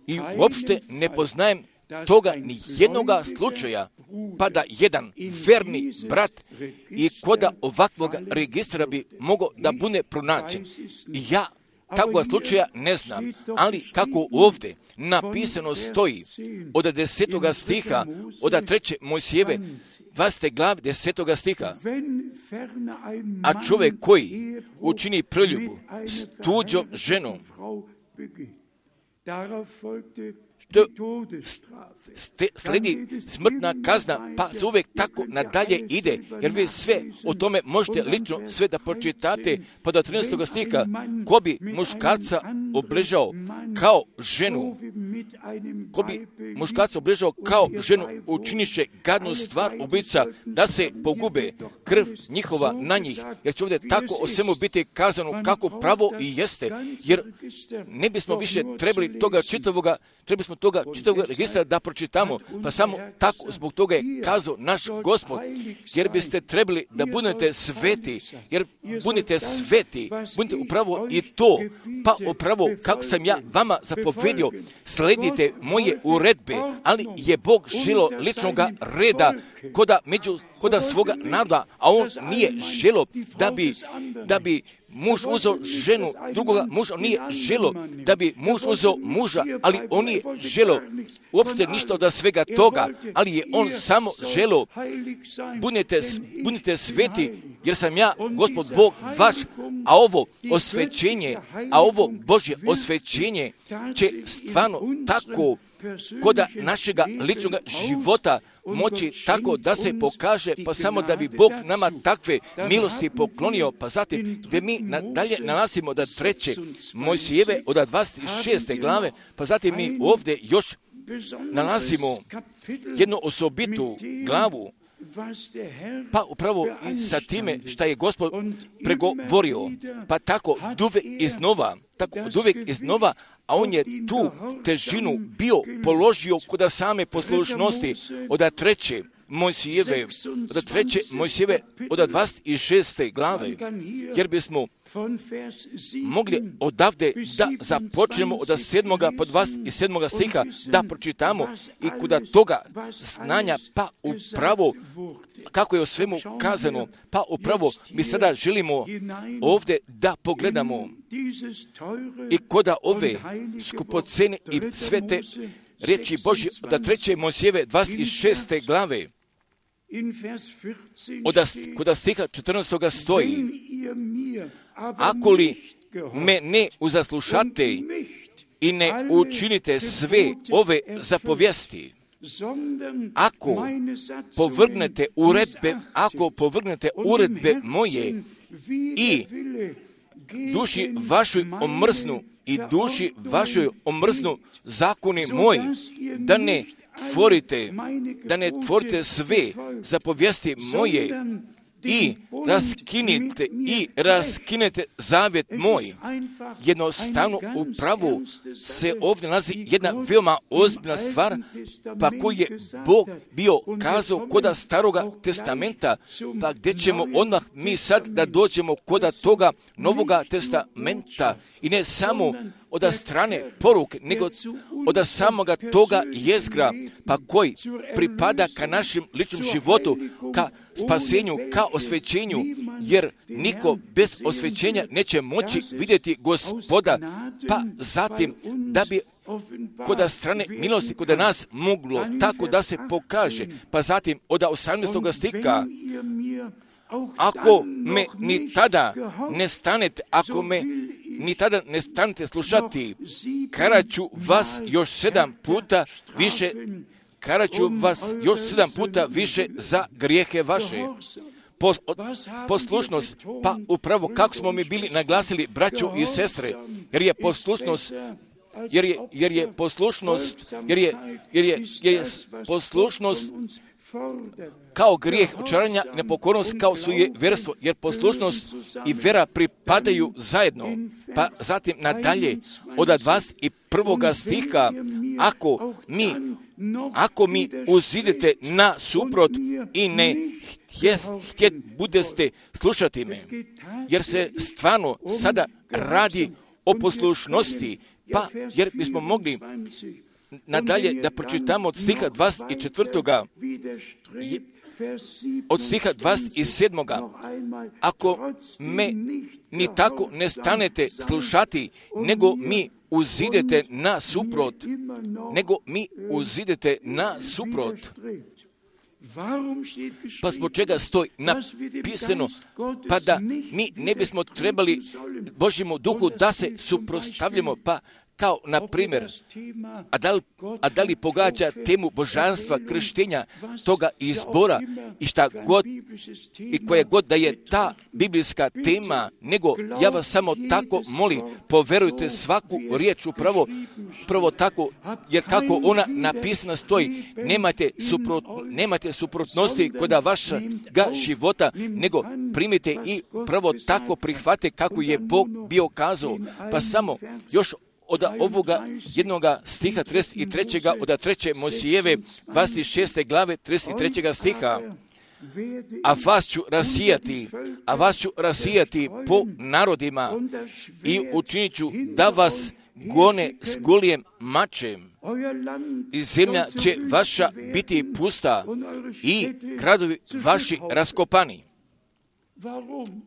i uopšte ne poznajem toga ni jednoga slučaja, pa da jedan verni brat i koda ovakvog registra bi mogao da bude pronađen. Ja takvog slučaja ne znam, ali kako ovdje napisano stoji od 10. stiha, od 3. Mojsijeve 20. glave 10. stiha, a čovjek koji učini preljubu s tuđom ženom, što sledi smrtna kazna, pa se uvijek tako nadalje ide, jer vi sve o tome možete lično sve da pročitate, pa do 13. stiha, ko bi muškarca obližao kao ženu, ko bi muškarca obližao kao ženu, učiniše gadnu stvar ubica, da se pogube krv njihova na njih, jer će ovdje tako o svemu biti kazano kako pravo i jeste, jer ne bismo više trebali toga čitavoga registra da pročitamo, pa samo tako zbog toga je kazao naš Gospod, jer biste trebali da budete sveti, jer budete sveti, budete upravo i to, pa upravo kako sam ja vama zapovedio, sledite moje uredbe, ali je Bog želo ličnog reda koda svoga naroda, a on nije želo da bi muž uzeo ženu drugoga muža, on nije želo da bi muž uzeo muža, ali on nije želo uopšte ništa od svega toga, ali je on samo želo budite sveti, jer sam ja, Gospod Bog vaš, a ovo Božje osvećenje će stvarno tako koda našega ličnog života moći tako da se pokaže, pa samo da bi Bog nama takve milosti poklonio, pa zatim gdje mi nadalje nalazimo da 3. Mojsijeve od 26. glave, pa zatim mi ovdje još nalazimo jednu osobitu glavu, pa upravo i sa time šta je Gospod pregovorio, pa tako duvek iznova, a on je tu težinu bio položio kod same poslušnosti od 3. Mojsijeve od 26. glave, jer bismo mogli odavde da započnemo od 7. po 27. stiha da pročitamo i kod toga znanja, pa upravo kako je o svemu kazano, pa upravo mi sada želimo ovdje da pogledamo i koda ove skupocene i svete riječi Božje od 3. Mojsijeve 26. glave. Kod stiha 14. stoji: ako li me ne uzaslušate i ne učinite sve ove zapovijesti, ako povrgnete uredbe moje i duši vašoj omrznu zakoni moji, da ne tvorite sve zapovijesti moje i raskinete zavjet moj. Jednostavno upravo se ovdje nalazi jedna veoma ozbiljna stvar, pa koju je Bog bio kazao koda Staroga testamenta, pa gdje ćemo odmah mi sad da dođemo koda toga Novoga testamenta, i ne samo od strane poruke, nego od samoga toga jezgra, pa koji pripada ka našem ličnom životu, ka spasenju, ka osvećenju, jer niko bez osvećenja neće moći vidjeti Gospoda, pa zatim da bi kod strane milosti kod nas moglo tako da se pokaže, pa zatim od 18. stiha: ako me ni tada ne stanete slušati, karaću vas još 7 puta više za grijehe vaše. Poslušnost, pa upravo kako smo mi bili naglasili, braćo i sestre, jer je poslušnost kao grijeh očaranja, nepokornost kao sujeverstvo, jer poslušnost i vera pripadaju zajedno. Pa zatim nadalje od 21. stiha: ako mi uzidete na suprot i ne htjet budeste slušati me, jer se stvarno sada radi o poslušnosti, pa jer bismo mogli nadalje da pročitamo od stiha 24. od stiha 27. ako me ni tako ne stanete slušati, nego mi uzidete na suprot. Pa zbog čega stoji napisano, pa da mi ne bismo trebali Božjemu duhu da se suprotstavljamo, pa Kao, na primjer, a da li pogađa temu božanstva, krštenja, toga izbora i šta god, i koje god da je ta biblijska tema, nego ja vas samo tako molim, poverujte svaku riječ upravo tako, jer kako ona napisana stoji, nemate suprotnosti kod vašega života, nego primite i pravo tako prihvate kako je Bog bio kazao. Pa samo još od ovoga jednoga stiha 33. od 3. Mojsijeve 26. glave 33. stiha. A vas ću rasijati po narodima i učinit ću da vas gone s gulijem mačem. I zemlja će vaša biti pusta i gradovi vaši raskopani.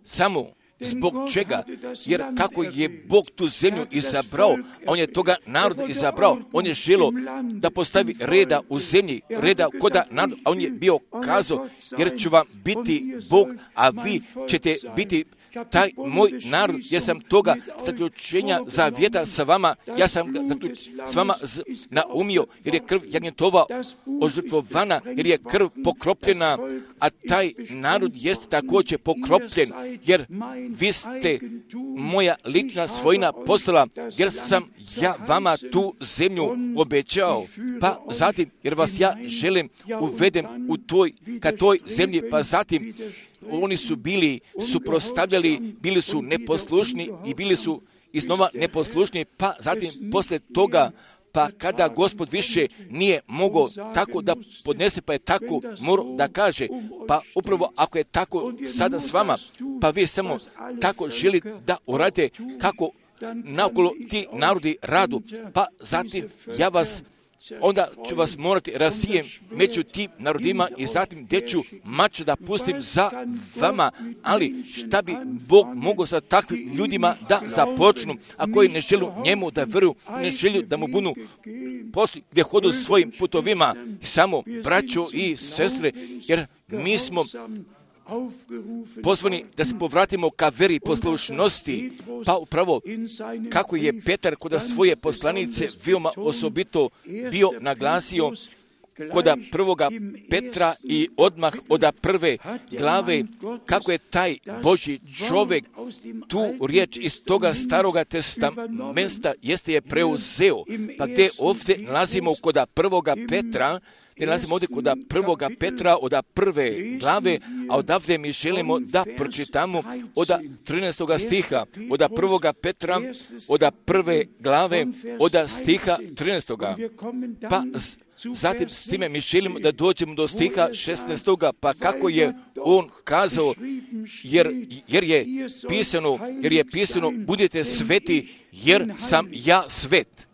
Samo zbog čega? Jer kako je Bog tu zemlju izabrao, on je toga naroda izabrao, on je želio da postavi reda u zemlji, reda koda narod, a on je bio kazao, jer ću vam biti Bog, a vi ćete biti taj moj narod, jer sam toga zaključenja zavjeta sa vama, ja sam ga s vama naumio, jer je krv jagnjetova ožrtvovana, jer je krv pokropljena, a taj narod jeste također pokropljen, jer vi ste moja lična svojina postala, jer sam ja vama tu zemlju obećao. Pa zatim, jer vas ja želim uvedem ka toj zemlji, pa zatim oni su bili suprotstavljali, bili su neposlušni i bili su iznova neposlušni, pa zatim poslije toga, pa kada Gospod više nije mogao tako da podnese, pa je tako morao da kaže, pa upravo ako je tako sada s vama, pa vi samo tako želite da uradite kako naokolo ti narodi radu, pa zatim onda ću vas morati rasijem među tim narodima i zatim gdje ću mač da pustim za vama, ali šta bi Bog mogao sa takvim ljudima da započnu, a koji ne žele njemu da vjeruju, ne žele da mu budu posli gdje hodu svojim putovima, samo braćo i sestre, jer mi smo pozvani da se povratimo ka veri poslušnosti, pa upravo kako je Petar kod svoje poslanice veoma osobito bio naglasio kod prvoga Petra i odmah od prve glave, kako je taj Božji čovjek tu riječ iz toga staroga testamenta jeste je preuzeo, pa gdje ovdje nalazimo kod prvoga Petra, nalazimo ovdje kod prvoga Petra od prve glave, a odavde mi želimo da pročitamo od 13. stiha, od prvoga Petra, od prve glave, od stiha 13. Pa zatim s time mi želimo da dođemo do stiha 16. pa kako je on kazao, jer je pisano budite sveti, jer sam ja svet.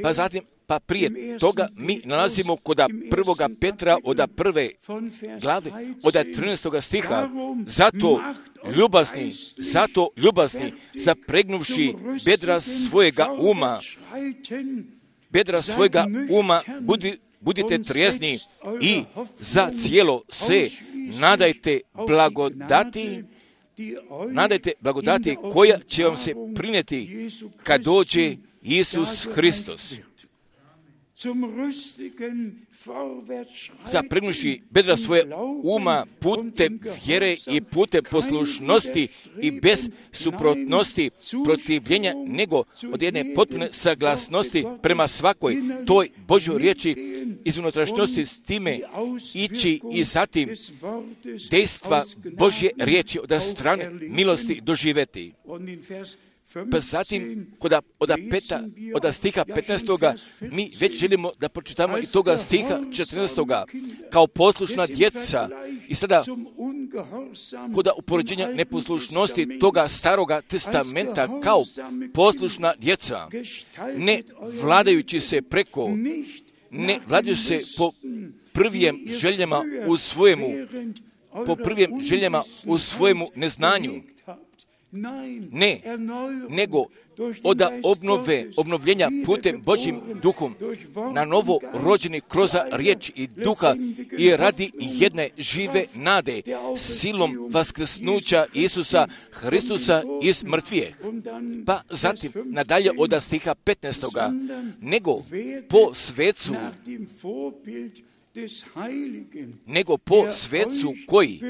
Pa zatim, pa prije toga mi nalazimo kod prvoga Petra od prve glave, od 13. stiha, zato ljubazni, zapregnuvši bedra svojega uma, budite trijezni i za cijelo se nadajte blagodati koja će vam se prinijeti kad dođe Isus Hristos. Zapregnuvši bedra svoje uma putem vjere i putem poslušnosti i bez suprotnosti protivljenja, nego od jedne potpune saglasnosti prema svakoj toj Božjoj riječi iz unutrašnjosti, s time ići i zatim dejstva Božje riječi od strane milosti doživjeti. Pa zatim, od stiha 15. mi već želimo da pročitamo i toga stiha 14. kao poslušna djeca. I sada, kod upoređenja neposlušnosti toga staroga testamenta kao poslušna djeca, ne vladajući se po prvim željama u svojemu neznanju, Ne, nego od obnovljenja putem Božjim duhom na novo rođeni kroz riječ i duha i radi jedne žive nade silom vaskrsnuća Isusa Hristusa iz mrtvijeh. Pa zatim nadalje od stiha 15. nego po svecu koji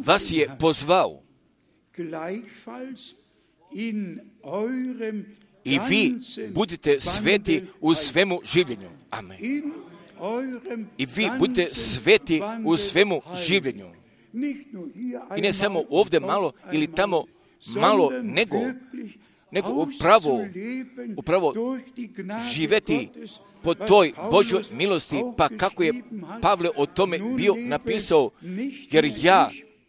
vas je pozvao i vi budite sveti u svemu življenju. Amen. I vi budite sveti u svemu življenju. I ne samo ovdje malo ili tamo malo, nego upravo živeti po toj Božjoj milosti, pa kako je Pavle o tome bio napisao,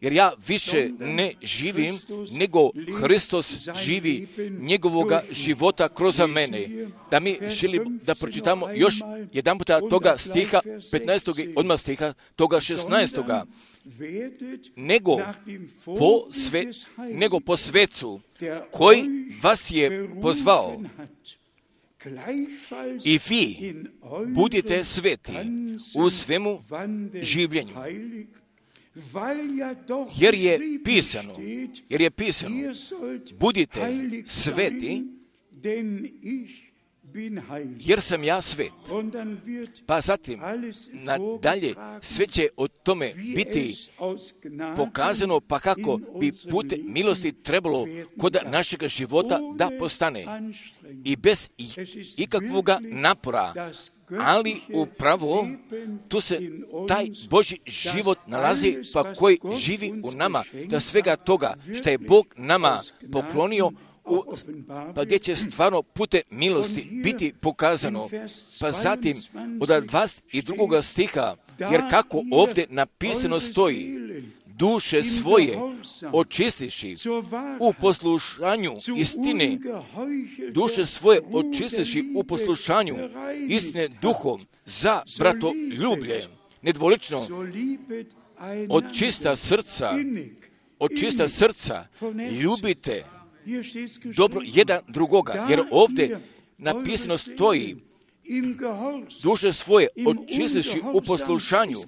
jer ja više ne živim, nego Hristos živi njegovoga života kroz mene. Da mi želimo da pročitamo još jedan puta toga stiha 15. i odmah stiha toga 16. Nego po svecu koji vas je pozvao i vi budite sveti u svemu življenju. Jer je pisano, budite sveti, jer sam ja svet. Pa zatim, nadalje, sve će o tome biti pokazano, pa kako bi putem milosti trebalo kod našega života da postane. I bez ikakvoga napora, ali upravo tu se taj Božji život nalazi, pa koji živi u nama, da svega toga što je Bog nama poklonio, pa gdje će stvarno putem milosti biti pokazano. Pa zatim od 22. stiha, jer kako ovdje napisano stoji, duše svoje očistiši u poslušanju istine, duše svoje očistiši u poslušanju istine duhom za bratoljublje, nedvolično, od čista srca ljubite dobro jedan drugoga, jer ovdje napisano stoji, duše svoje očistiši u poslušanju,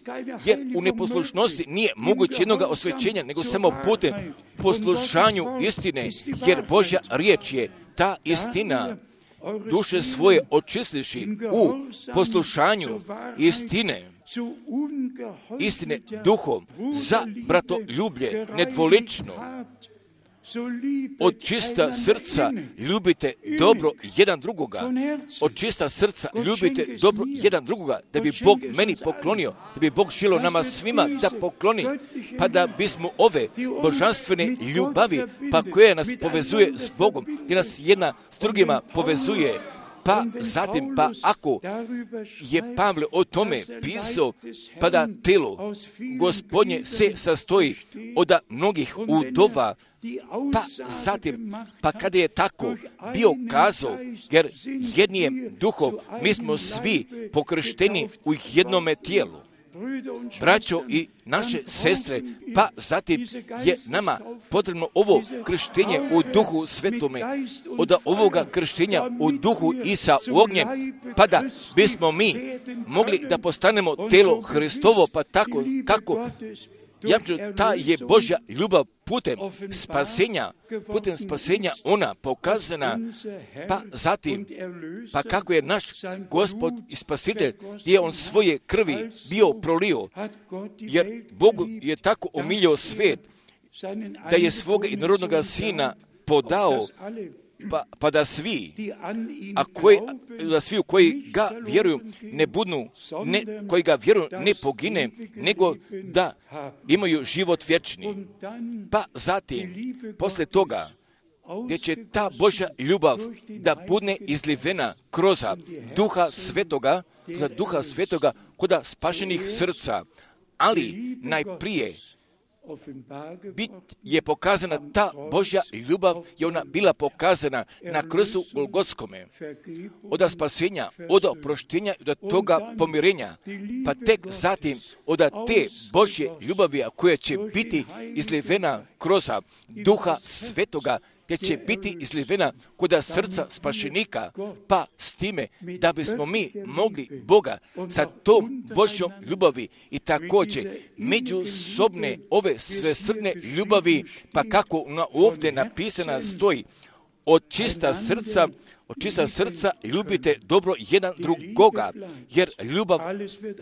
jer u neposlušnosti nije moguće jednoga osvećenja, nego samo putem poslušanju istine, jer Božja riječ je ta istina. Duše svoje očistiši u poslušanju istine duhom za bratoljublje, nedvolično, od čista srca ljubite dobro jedan drugoga. Od čista srca ljubite dobro jedan drugoga, da bi Bog meni poklonio, da bi Bog želio nama svima da pokloni, pa da bismo ove božanstvene ljubavi, pa koje nas povezuje s Bogom, gdje nas jedna s drugima povezuje, pa zatim, pa ako je Pavle o tome pisao, pa da telo Gospodnje se sastoji od mnogih udova, pa zatim, pa kada je tako bio kazao, jer jednim duhom mi smo svi pokršteni u jednome tijelu, braćo i naše sestre, pa zatim je nama potrebno ovo krštenje u duhu svetome, od ovoga krštenja u duhu i sa ognjem, pa da bismo mi mogli da postanemo telo Hristovo, pa tako kako ta je Božja ljubav putem spasenja ona pokazana, pa zatim, pa kako je naš Gospod i Spasitelj, gdje je on svoje krvi bio prolio, jer Bog je tako omilio svijet, da je svoga jednorodnoga Sina podao, pa da svi, u koji ga vjeruju ne budnu, koji ga vjeruju ne pogine, nego da imaju život vječni. Pa zatim, poslije toga, gdje će ta Božja ljubav da bude izlivena kroz Duha Svetoga kod spašenih srca, ali najprije je pokazana ta Božja ljubav, je ona bila pokazana na krstu Golgotskome, od spasenja, od oproštenja i od toga pomirenja, pa tek zatim od te Božje ljubavi koja će biti izlivena kroz Duha Svetoga, gdje će biti izlivena kod srca spašenika, pa s time da bismo mi mogli Boga sa tom Božjom ljubavi i također međusobne ove svesrdne ljubavi, pa kako ovdje napisana stoji, od čista srca ljubite dobro jedan drugoga, jer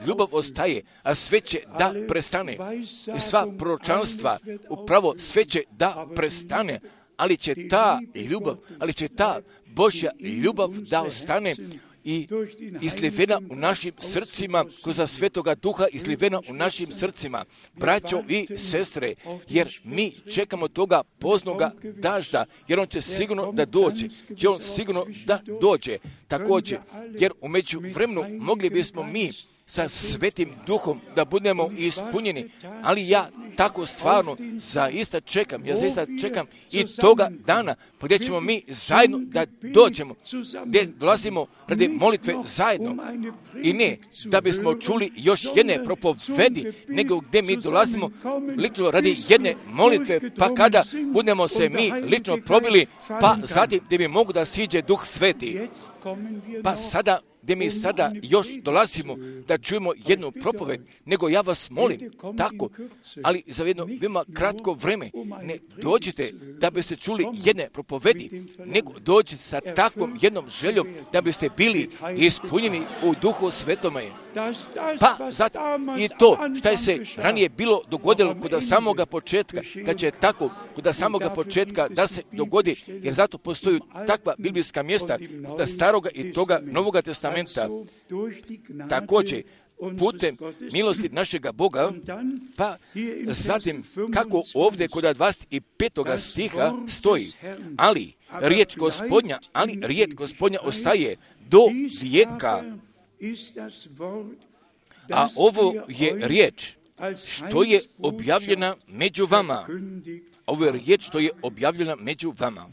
ljubav ostaje, a sve će da prestane. I sva proročanstva, upravo sve će da prestane, ali će ta Božja ljubav da ostane i izlivena u našim srcima, kroz Svetoga Duha izlivena u našim srcima, braćo i sestre, jer mi čekamo toga poznoga dažda, jer on će sigurno da dođe, također, jer u međuvremenu mogli bismo mi sa Svetim Duhom da budemo ispunjeni, ali ja tako stvarno zaista čekam i toga dana gdje ćemo mi zajedno da dođemo, gdje dolazimo radi molitve zajedno i ne da bismo čuli još jedne propovedi, nego gdje mi dolazimo lično radi jedne molitve, pa kada budemo se mi lično probili, pa zatim gdje mi mogu da siđe Duh Sveti, pa sada gdje mi sada još dolazimo da čujemo jednu propoved, nego ja vas molim tako, ali za jedno veoma kratko vreme, ne dođite da biste čuli jedne propovedi, nego dođite sa takvom jednom željom da biste bili ispunjeni u Duhu Svetome. Pa zato i to što je se ranije bilo dogodilo kod samoga početka, kad će tako kod samoga početka da se dogodi, jer zato postoju takva biblijska mjesta kod Staroga i toga Novoga testamenta. Također, putem milosti našega Boga, pa zatim kako ovdje kod 25. stiha stoji, ali riječ Gospodnja ostaje do vijeka. A ovo je riječ što je objavljena među vama. Ovo je riječ što je objavljena među vama.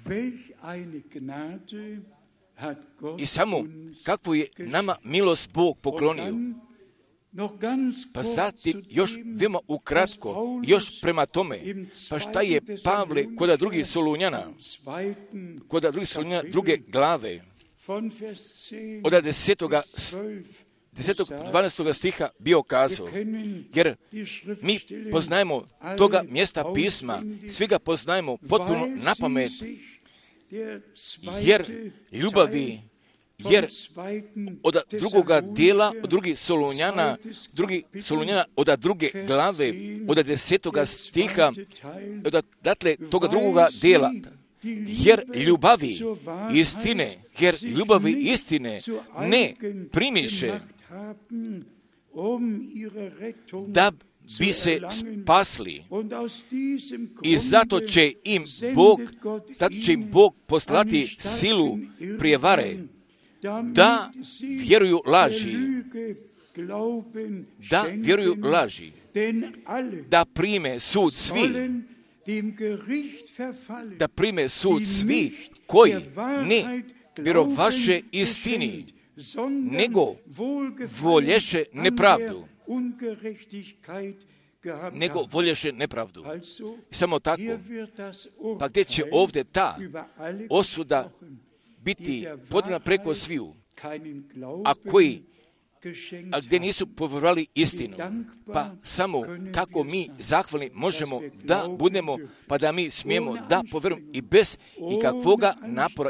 I samo kakvu je nama milost Bog poklonio. Pa zatim još veoma ukratko, još prema tome, pa šta je Pavle kod drugih Solunjana, druge glave, od 12. stiha bio kazao, jer mi poznajemo toga mjesta pisma, svi ga poznajemo potpuno napamet, jer od drugoga dijela, od drugih Solunjana, od druge glave, od 10. stiha, dakle, toga drugoga dijela, jer ljubavi istine ne primiše da bi se spasli, i zato će im Bog poslati silu prijevare da vjeruju laži, da prime sud svi koji ne vjerovaše istini, nego volješe nepravdu. Samo tako. Pa gdje će ovdje ta osuda biti podana preko sviju, a gdje nisu povjerovali istinu, pa samo tako mi zahvalni možemo da budemo, pa da mi smijemo da povjerujemo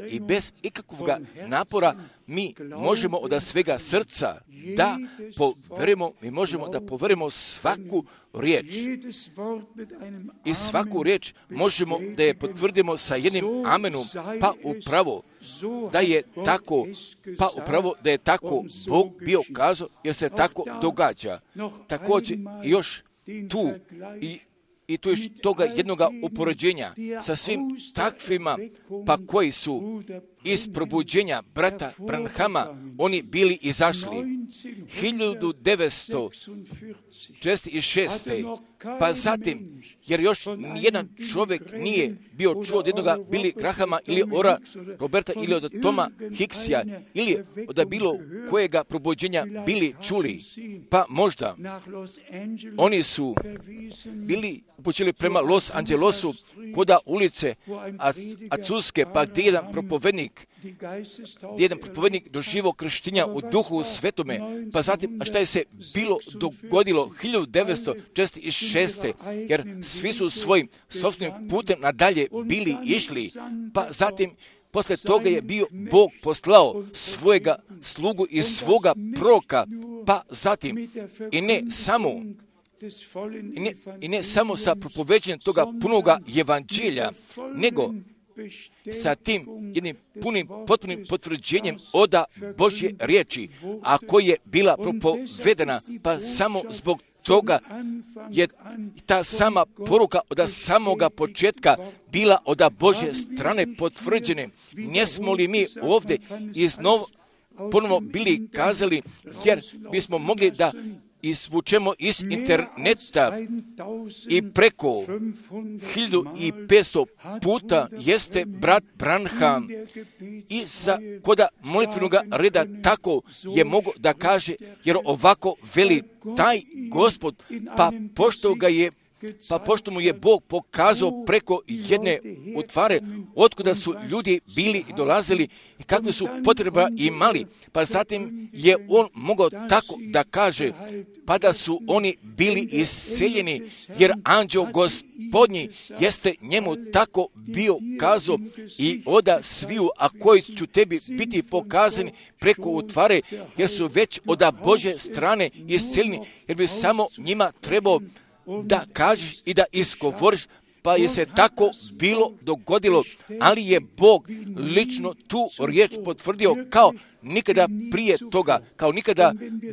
i bez ikakvoga napora mi možemo od svega srca da povjerujemo, mi možemo da povjerujemo svaku riječ. I svaku riječ možemo da je potvrdimo sa jednim amenom, pa upravo da je tako Bog bio kazao, jer se tako događa. Također još tu i tu još toga jednoga upoređenja sa svim takvima, pa koji su iz probuđenja brata Branhama oni bili izašli 1946. Pa zatim, jer još nijedan čovjek nije bio čuo od jednoga Billy Grahama ili Ora Roberta ili od Toma Hicksija ili od bilo kojega probuđenja bili čuli. Pa možda oni su bili upućili prema Los Angelesu koda ulice Azuske, pa gdje jedan propovednik doživio krštenja u Duhu Svetome. Pa zatim, a šta je se bilo dogodilo 1946. jer svi su svojim sopstvenim putem nadalje bili išli. Pa zatim, posle toga je bio Bog poslao svojega slugu i svoga proroka. Pa zatim, i ne samo sa propoveđenjem toga punoga evanđelja, nego sa tim jednim potpunim potvrđenjem oda Božje riječi, a koja je bila propovedena, pa samo zbog toga je ta sama poruka od samoga početka bila od Božje strane potvrđene. Njesmo li mi ovdje ponovo bili kazali, jer bismo mogli da izvučemo iz interneta i preko 1500 puta jeste brat Branham i koda molitvenog reda tako je mogo da kaže, jer ovako veli taj Gospod, pošto mu je Bog pokazao preko jedne utvare, otkuda su ljudi bili i dolazili i kakve su potreba imali, pa zatim je on mogao tako da kaže, pa da su oni bili isceljeni, jer anđeo Gospodnji jeste njemu tako bio kazao i oda sviju, a koji ću tebi biti pokazani preko utvare, jer su već od Božje strane isceljeni, jer bi samo njima trebao da kažeš i da isgovoriš, pa je se tako bilo dogodilo, ali je Bog lično tu riječ potvrdio kao nikada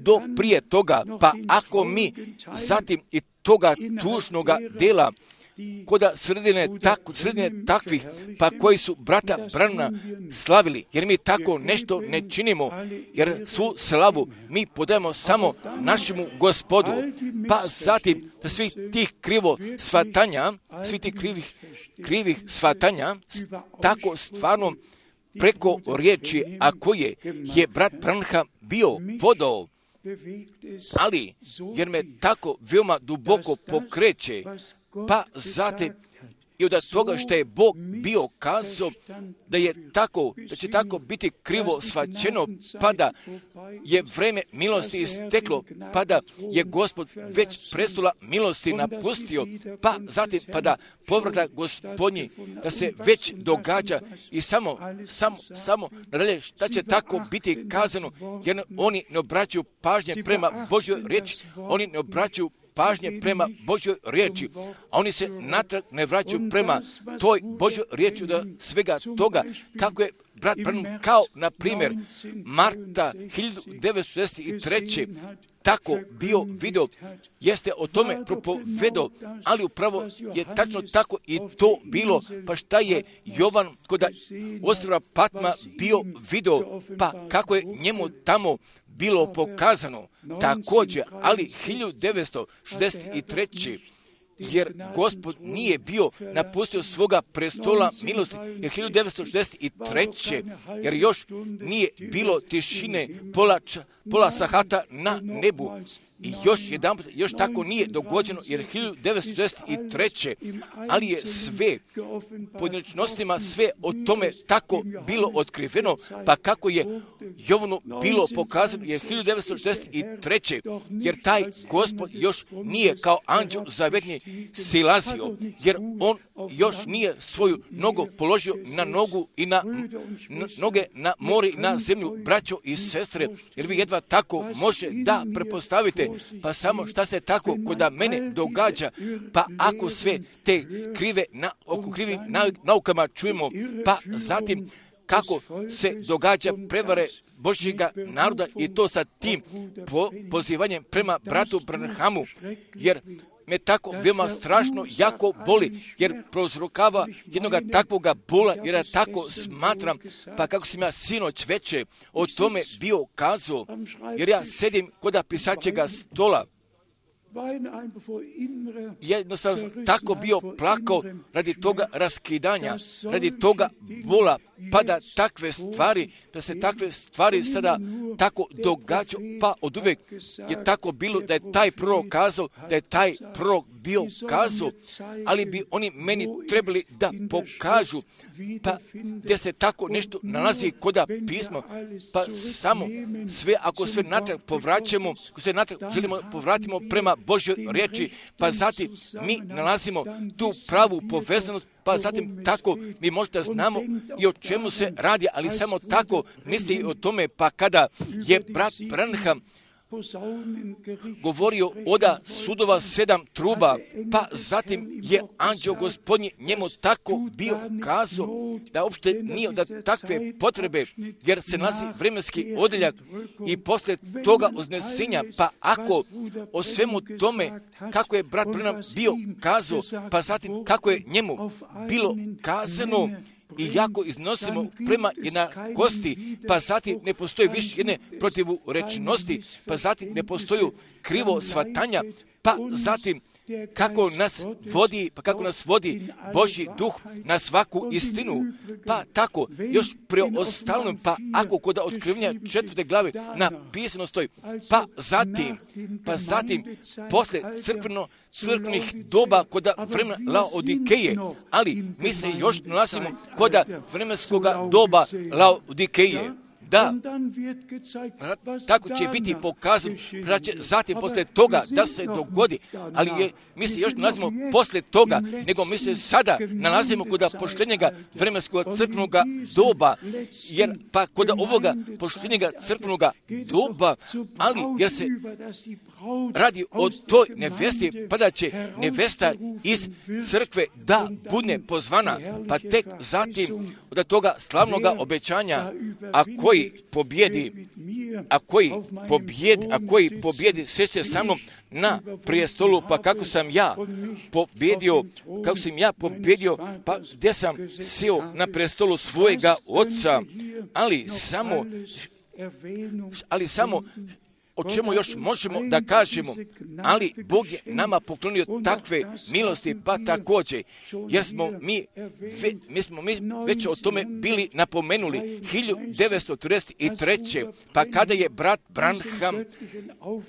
do prije toga, pa ako mi zatim i toga tužnoga dela koda sredine takvih, pa koji su brata Branhama slavili, jer mi tako nešto ne činimo, jer svu slavu mi podajemo samo našemu Gospodu, pa zatim da svih tih krivih shvatanja, tako stvarno preko riječi, a koje je brat Branham bio podao, ali jer me tako veoma duboko pokreće, pa zatim i od toga što je Bog bio kazao da će tako biti krivo shvaćeno, pa da je vreme milosti isteklo, pa da je Gospod već prestola milosti napustio, pa zatim pa da povrata Gospodnji da se već događa i samo nadalje šta će tako biti kazano, jer oni ne obraćaju pažnje prema Božjoj riječi, oni ne obraćaju pažnje prema Božjoj riječi, a oni se natrag ne vraćaju prema toj Božjoj riječi da svega toga, kako je brat Branham, kao na primjer marta 1963. tako bio video, jeste o tome propovedao, ali upravo je tačno tako i to bilo, pa šta je Jovan kod ostrva Patma bio video, pa kako je njemu tamo bilo pokazano također, ali 1963. jer Gospod nije bio napustio svoga prestola milosti, jer 1963. jer još nije bilo tišine pola sahata na nebu. I još tako nije dogođeno, jer 1963. ali je sve pojedinačnostima sve o tome tako bilo otkriveno, pa kako je Jovanu bilo pokazano, jer 1963. jer taj Gospod još nije kao anđeo zavetni silazio, jer on još nije svoju nogu položio na nogu i na noge na more i na zemlju, braćo i sestre, jer vi jedva tako može da prepostavite, pa samo šta se tako kod mene događa, pa ako sve te krivim naukama čujemo, pa zatim kako se događa prevare Božjega naroda i to sa tim pozivanjem prema bratu Branhamu, jer me tako veoma strašno jako boli, jer prouzrokava jednoga takvoga bola, jer ja tako smatram, pa kako sam ja sinoć veče o tome bio kazao, jer ja sedim kod pisaćega stola jednostavno tako bio plakao radi toga raskidanja, radi toga vola, pa da takve stvari, da se takve stvari sada tako događaju, pa od uvijek je tako bilo da je taj prorok kazao, da je taj prorok bio kazao, ali bi oni meni trebali da pokažu, pa gdje se tako nešto nalazi koda pismo, pa samo sve, ako sve natrag povraćamo, ako sve natrag želimo povratimo prema Božjoj riječi, pa zatim mi nalazimo tu pravu povezanost, pa zatim tako mi možda znamo i o čemu se radi, ali samo tako misli o tome, pa kada je brat Branham govorio oda sudova 7 truba, pa zatim je anđeo gospodnji njemu tako bio kazao da uopšte nije da takve potrebe, jer se nalazi vremenski odjeljak i poslije toga uznesenja, pa ako o svemu tome kako je brat Branham bio kazao, pa zatim kako je njemu bilo kazano, i jako iznosimo prema jednakosti, pa zatim ne postoji više jedne protivurečnosti, pa zatim ne postoji krivo shvatanja, pa zatim kako nas vodi Božji duh na svaku istinu, pa tako još preostalom, pa ako kod otkrivanja 4. glave napisano stoji, pa zatim posle crkvenih doba kod vremena Laodikeje, ali mi se još nalazimo kod vremenskoga doba Laodikeje. Da, tako će biti pokazano, da će zatim posle toga da se dogodi, ali mi se još nalazimo posle toga, nego mi se sada nalazimo kod poštenjega vremenskog crkvenoga doba, jer pa kod ovoga poštenjega crkvenoga doba, ali jer se radi o toj nevesti, pa da će nevesta iz crkve da bude pozvana, pa tek zatim od toga slavnoga obećanja, a koji pobjedi sve se sa mnom na prijestolu, pa kako sam ja pobjedio, pa gdje sam sjeo na prijestolu svojega oca, ali samo o čemu još možemo da kažemo, ali Bog je nama poklonio takve milosti, pa također, jer smo mi već o tome bili napomenuli 1933. pa kada je brat Branham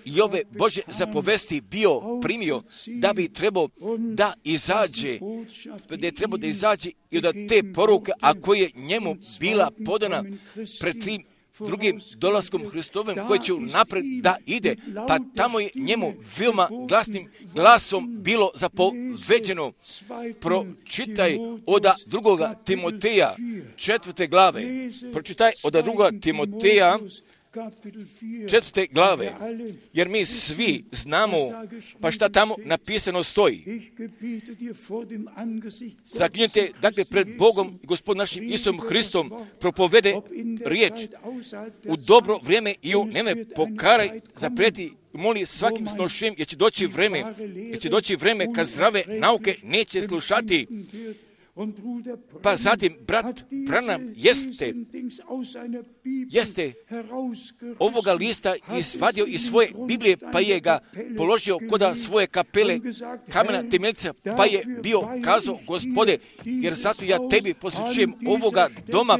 i ove Božje zapovesti bio primio, da bi trebao da izađe i od te poruke, a koje je njemu bila podana pred tim drugim dolaskom Hristovim koji će napred da ide, pa tamo je njemu veoma glasnim glasom bilo zapoveđeno. Pročitaj od 2. Timoteja 4. glave. Pročitaj od 2. Timoteja 4. glave, jer mi svi znamo, pa šta tamo napisano stoji. Zaklinjite, dakle, pred Bogom i Gospodom našim Isusom Hristom propovede riječ u dobro vrijeme i u neme pokaraj, zaprijeti, moli svakim snošenjem, jer će doći vrijeme kad zdrave nauke neće slušati. Pa zatim brat Branham jeste ovoga lista izvadio iz svoje Biblije, pa je ga položio kod svoje kapele kamena temeljca, pa je bio kazao, Gospode, jer zato ja tebi posvećujem ovoga doma,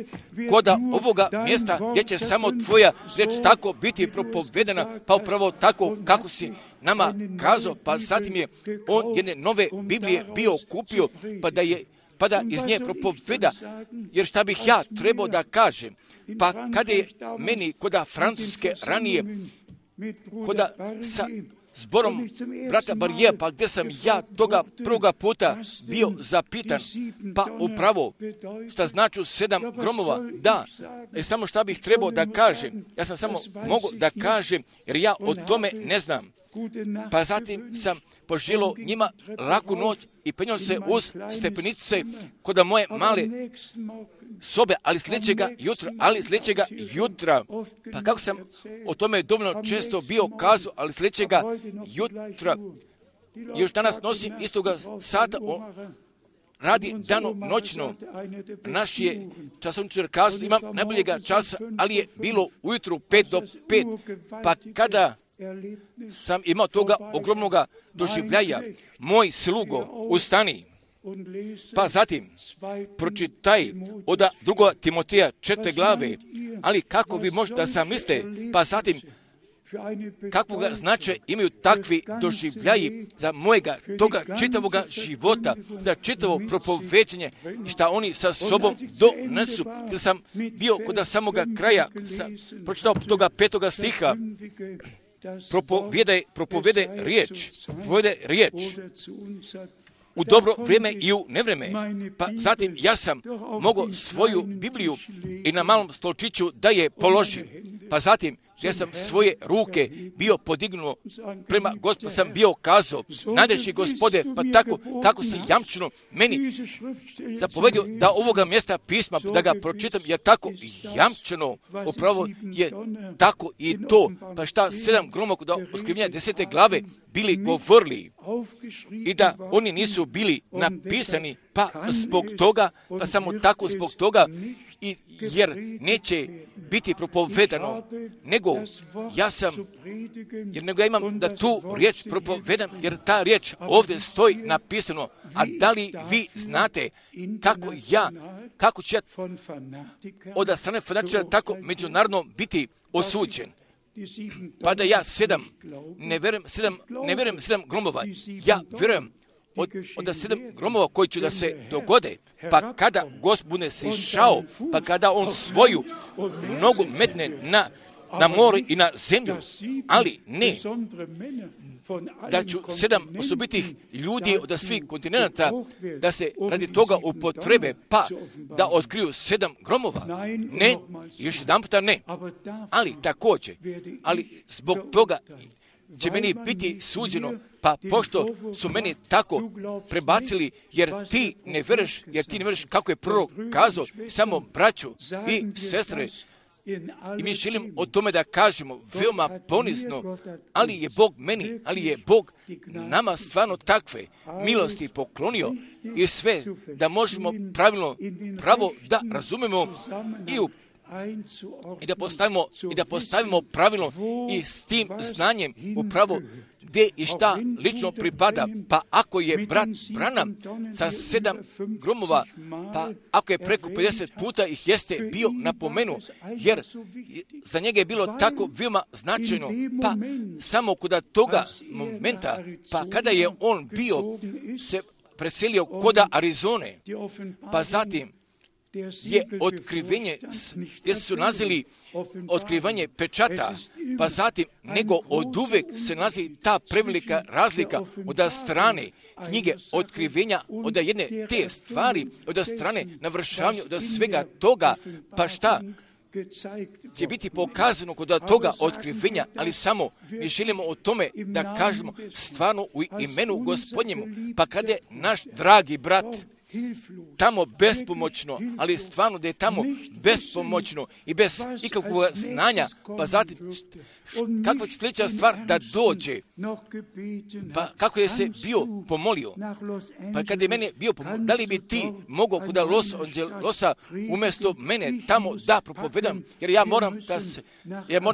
kod ovoga mjesta gdje će samo tvoja riječ tako biti propovedana, pa upravo tako kako si nama kazao, pa zatim je on jedne nove Biblije bio kupio, pa da iz nje propoveda, jer šta bih ja trebao da kažem, pa kada je meni koda Francuske ranije, koda sa zborom brata Barija, pa gdje sam ja toga prvoga puta bio zapitan, pa upravo šta znači 7 gromova, da, samo šta bih trebao da kažem, ja sam samo mogu da kažem, jer ja o tome ne znam. Pa zatim sam poželio njima laku noć i penjao se uz stepenice kod moje male sobe, ali sljedećega jutra, pa kako sam o tome dovoljno često bio kazao, ali sljedećega jutra, još danas nosim istoga sata, radi dano noćno. Naš je časovničar kazao, imam najboljega časa, ali je bilo ujutru 5 do 5, pa kada sam imao toga ogromnoga doživljaja. Moj slugo, ustani, pa zatim pročitaj od 2. Timoteja 4. glave, ali kako vi možete da zamislite, pa zatim kakvoga značaja imaju takvi doživljaji za mojega toga čitavoga života, za čitavo propoveđenje i šta oni sa sobom donesu. Jer sam bio kod samoga kraja, pročitao toga 5. stiha, propovede riječ u dobro vrijeme i u nevreme. Pa zatim ja sam mogao svoju Bibliju i na malom stolčiću da je položim. Pa zatim ja sam svoje ruke bio podignuo prema Gospodu, sam bio kazao, najdraži Gospode, pa tako kako si jamčeno meni zapovedio da ovoga mjesta pisma, da ga pročitam, jer tako jamčeno upravo je tako i to. Pa šta 7 gromova od otkrivenja 10. glave bili govorili i da oni nisu bili napisani, pa zbog toga, pa samo tako zbog toga, jer neće biti propovedano, nego ja imam da tu riječ propovedam, jer ta riječ ovdje stoji napisano. A da li vi znate kako će od strane fanatičara tako međunarodno biti osuđen? Pa da ja ne vjerujem 7 gromova, ja vjerujem od 7 gromova koji će da se dogode, pa kada Gospod bude sišao, pa kada on svoju nogu metne na more i na zemlju, ali ne da ću 7 osobitih ljudi od svih kontinenta da se radi toga upotrebe, pa da otkriju 7 gromova. Ne, još jedan puta ne. Ali također, zbog toga će meni biti suđeno, pa pošto su meni tako prebacili, jer ti ne vjeruješ kako je prorok kazao, samo braću i sestre, i mi želim o tome da kažemo veoma ponizno, ali je Bog nama stvarno takve milosti poklonio i sve da možemo pravo da razumemo i da postavimo pravilno i s tim znanjem upravo gdje i šta lično pripada. Pa ako je brat Branham sa 7 gromova, pa ako je preko 50 puta ih jeste bio napomenu, jer za njega je bilo tako veoma značajno, pa samo kod toga momenta, pa kada je on bio se preselio kod Arizone, pa zatim je otkrivenje, gdje su nazili otkrivanje pečata, pa zatim nego od uvek se nazivi ta prevelika razlika od strane knjige otkrivenja, od jedne te stvari, od strane navršavanja, od svega toga, pa šta će biti pokazano kod toga otkrivenja, ali samo mi želimo o tome da kažemo stvarno u imenu Gospodnjemu, pa kada je naš dragi brat tamo bespomoćno, ali stvarno da je tamo bespomoćno i bez ikakvog znanja, pa zatim kakva će sljedeća stvar da dođe, pa kako je se bio pomolio, pa kada je mene bio pomolio, da li bi ti mogao kod Los Angelesa umjesto mene tamo da propovedam, jer ja moram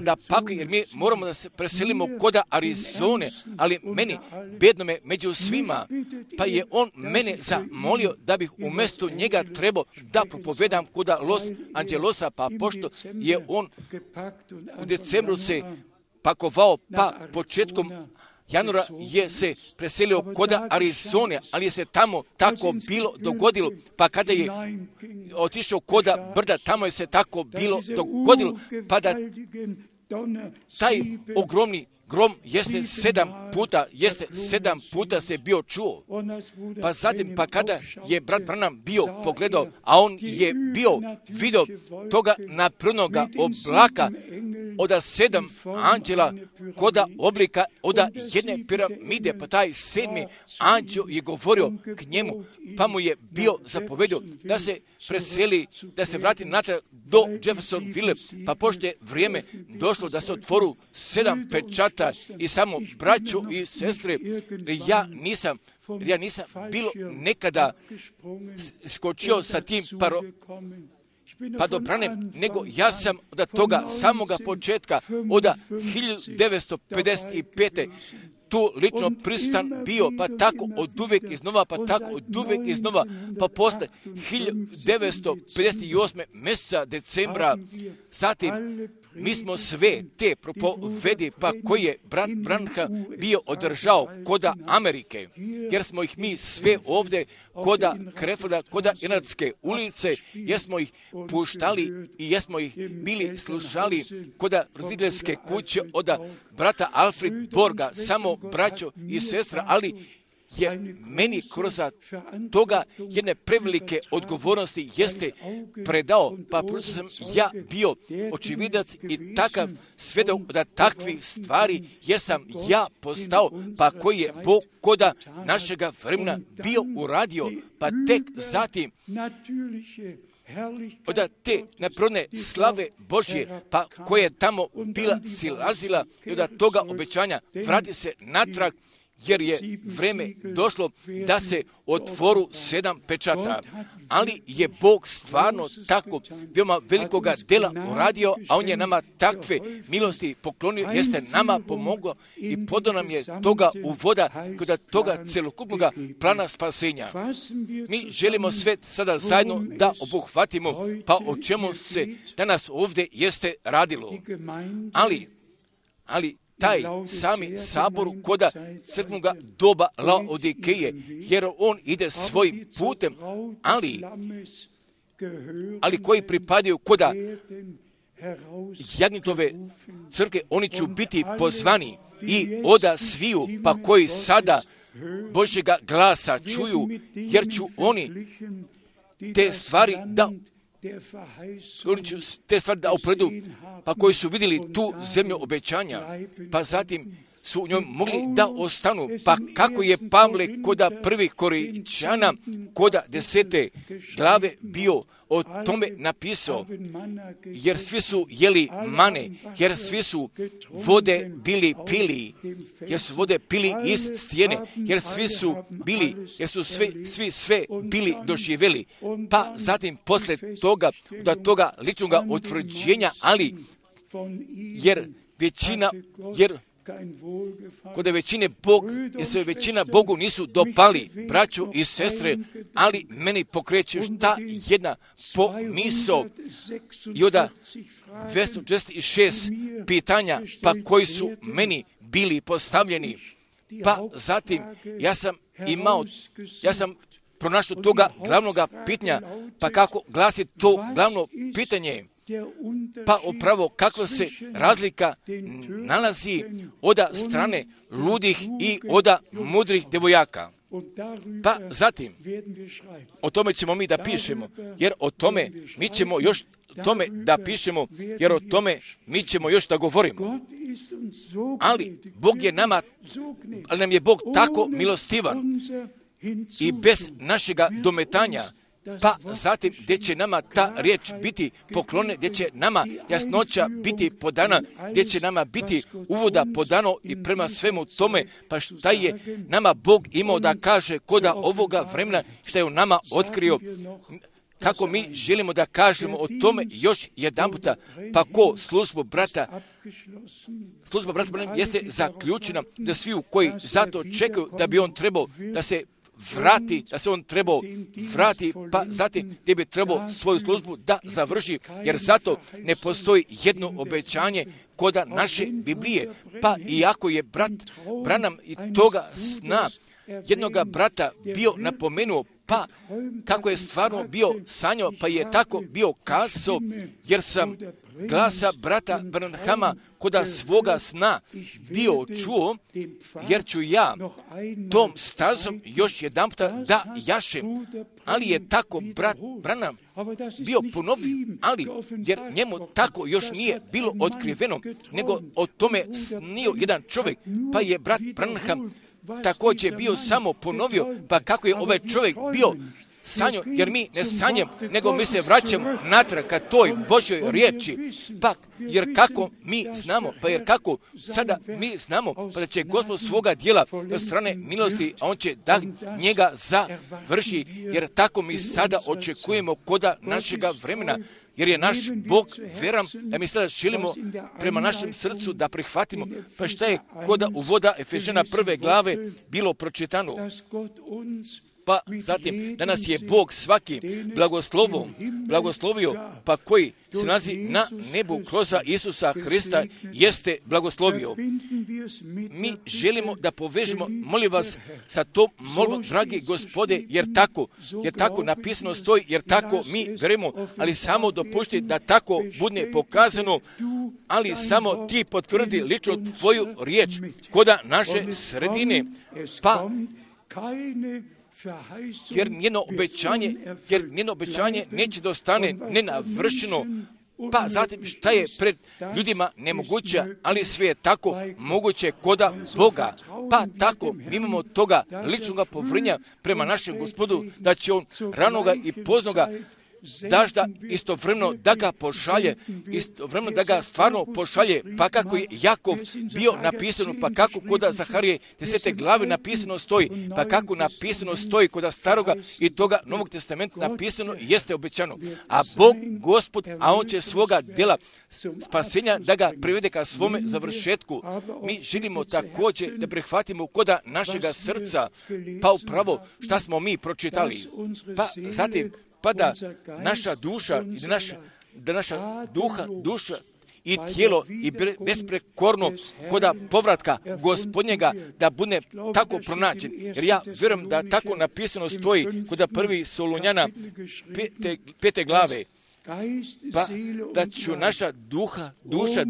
da pakujem, jer mi moramo da se preselimo kod Arizone, ali meni, bednome među svima, pa je on mene zamolio da bih umjesto njega trebao da propovedam kod Los Angelesa, pa pošto je on u decembru se pakovao, pa početkom januara je se preselio kod Arizone, ali je se tamo tako bilo dogodilo, pa kada je otišao kod brda, tamo je se tako bilo dogodilo, pa da taj ogromni grom jeste 7 puta se bio čuo. Pa zatim, pa kada je brat Branham bio pogledao, a on je bio vidio toga naprednoga oblaka od 7 anđela kod oblika od jedne piramide, pa taj 7. anđel je govorio k njemu, pa mu je bio zapovedio da se preseli, da se vrati natrag do Jeffersonville, pa pošto je vrijeme došlo da se otvoru 7 pečata i samo braćo i sestre, ja nisam bilo nekada skočio sa tim pa do brane, nego ja sam od toga samoga početka, od 1955. tu lično pristan bio, pa tako od uvijek iznova, pa tako od uvijek iznova, pa posle 1958. mjeseca decembra, zatim mi smo sve te propovedi, pa koji je brat Branham bio održao koda Amerike, jer smo ih mi sve ovdje koda Krefilda, koda Inatske ulice, jer smo ih puštali i jer smo ih bili slušali koda roditeljske kuće od brata Alfred Borga, samo braćo i sestra, ali je meni kroz toga jedne prevelike odgovornosti jeste predao, pa prosto sam ja bio očividac i takav svedok da takvih stvari jer sam ja postao, pa koji je Bog koda našega vremena bio uradio, pa tek zatim od te neprirodne slave Božje, pa koja je tamo bila silazila i od toga obećanja vrati se natrag, jer je vreme došlo da se otvoru 7 pečata. Ali je Bog stvarno tako veoma velikoga dela uradio, a On je nama takve milosti poklonio, jeste nama pomogao i podao nam je toga uvoda kod toga celokupnog plana spasenja. Mi želimo sve sada zajedno da obuhvatimo, pa o čemu se danas ovdje jeste radilo. Ali taj sami sabor koda crkvenog doba Laodikeje, jer on ide svojim putem, ali koji pripadaju koda Jagnjetove crkve, oni će biti pozvani i oda sviju, pa koji sada Božjega glasa čuju, jer ću oni te stvari da opredu, pa koji su vidjeli tu zemlju obećanja, pa zatim su u njoj mogli da ostanu. Pa kako je Pavle koda prvih Korinćana, koda 10. glave bio o tome napisao, jer svi su jeli mane, jer svi su vode bili pili, jer su vode pili iz stijene, jer su svi sve bili doživjeli. Pa zatim posle toga, do toga ličnog utvrđenja, kod većine većina Bogu nisu dopali, braćo i sestre, ali meni pokreće šta jedna pomisao i od 246 pitanja, pa koji su meni bili postavljeni. Pa zatim ja sam pronašao toga glavnog pitanja, pa kako glasi to glavno pitanje? Pa upravo kakva se razlika nalazi od strane ludih i od mudrih devojaka. Pa zatim, o tome ćemo mi da pišemo, jer o tome mi ćemo još mi ćemo još da govorimo. Ali nam je Bog tako milostivan i bez našega dometanja, pa zatim gdje će nama ta riječ biti poklonjena, gdje će nama jasnoća biti podana, gdje će nama biti uvoda podano i prema svemu tome, pa šta je nama Bog imao da kaže koda ovoga vremena, šta je u nama otkrio, kako mi želimo da kažemo o tome još jedan puta, pa ko služba brata jeste zaključena, da svi koji zato čekaju da bi on trebao da se on trebao vrati, pa zatim gdje bi trebao svoju službu da završi, jer zato ne postoji jedno obećanje koda naše Biblije. Pa iako je brat Branham i toga sna jednoga brata bio napomenuo, pa kako je stvarno bio sanjao, pa je tako bio kazao, jer sam glasa brata Branhama koda svoga sna bio čuo, jer ću ja tom stazom još jedan puta da jašem. Ali je tako brat Branham bio ponovio, jer njemu tako još nije bilo otkriveno, nego o tome snio jedan čovjek, pa je brat Branham također bio samo ponovio, pa kako je ovaj čovjek bio sanju, jer mi ne sanjamo, nego mi se vraćamo natrag ka toj Božjoj riječi. Pa, jer kako mi znamo, jer kako sada mi znamo, pa da će Gospod svoga djela od strane milosti, a on će da njega završi, jer tako mi sada očekujemo koda našega vremena, jer je naš Bog veran, da mi sada želimo prema našem srcu da prihvatimo. Pa šta je koda uvoda Efežana 1. glave bilo pročitano? Pa zatim, danas je Bog svaki blagoslovio, pa koji se nalazi na nebu kroz Isusa Hrista jeste blagoslovio. Mi želimo da povežemo, molim vas, sa tom molbom, dragi Gospode, jer tako napisano stoji, jer tako mi verujemo, ali samo dopušti da tako bude pokazano, ali samo ti potvrdi lično tvoju riječ koda naše sredine, pa jer njeno obećanje neće da ostane nenavršeno. Pa zatim šta je pred ljudima nemoguće, ali sve je tako moguće koda Boga. Pa tako mi imamo toga ličnog povrnja prema našem Gospodu, da će on ranoga i poznoga dažda istovremeno da ga pošalje, istovremeno da ga stvarno pošalje, pa kako je Jakov bio napisano, pa kako koda Zaharije 10. glave napisano stoji, pa kako napisano stoji koda staroga i toga Novog testamenta napisano jeste obećano. A Bog, Gospod, a on će svoga djela spasenja da ga privede ka svome završetku. Mi želimo također da prihvatimo koda našega srca, pa upravo šta smo mi pročitali. Pa zatim, pa da naša duša, da naša duša i tijelo i besprekorno koda povratka Gospodnjega da bude tako pronađen. Jer ja vjerujem da tako napisano stoji koda 1. Solunjana 5. glave. Pa da ću naša duša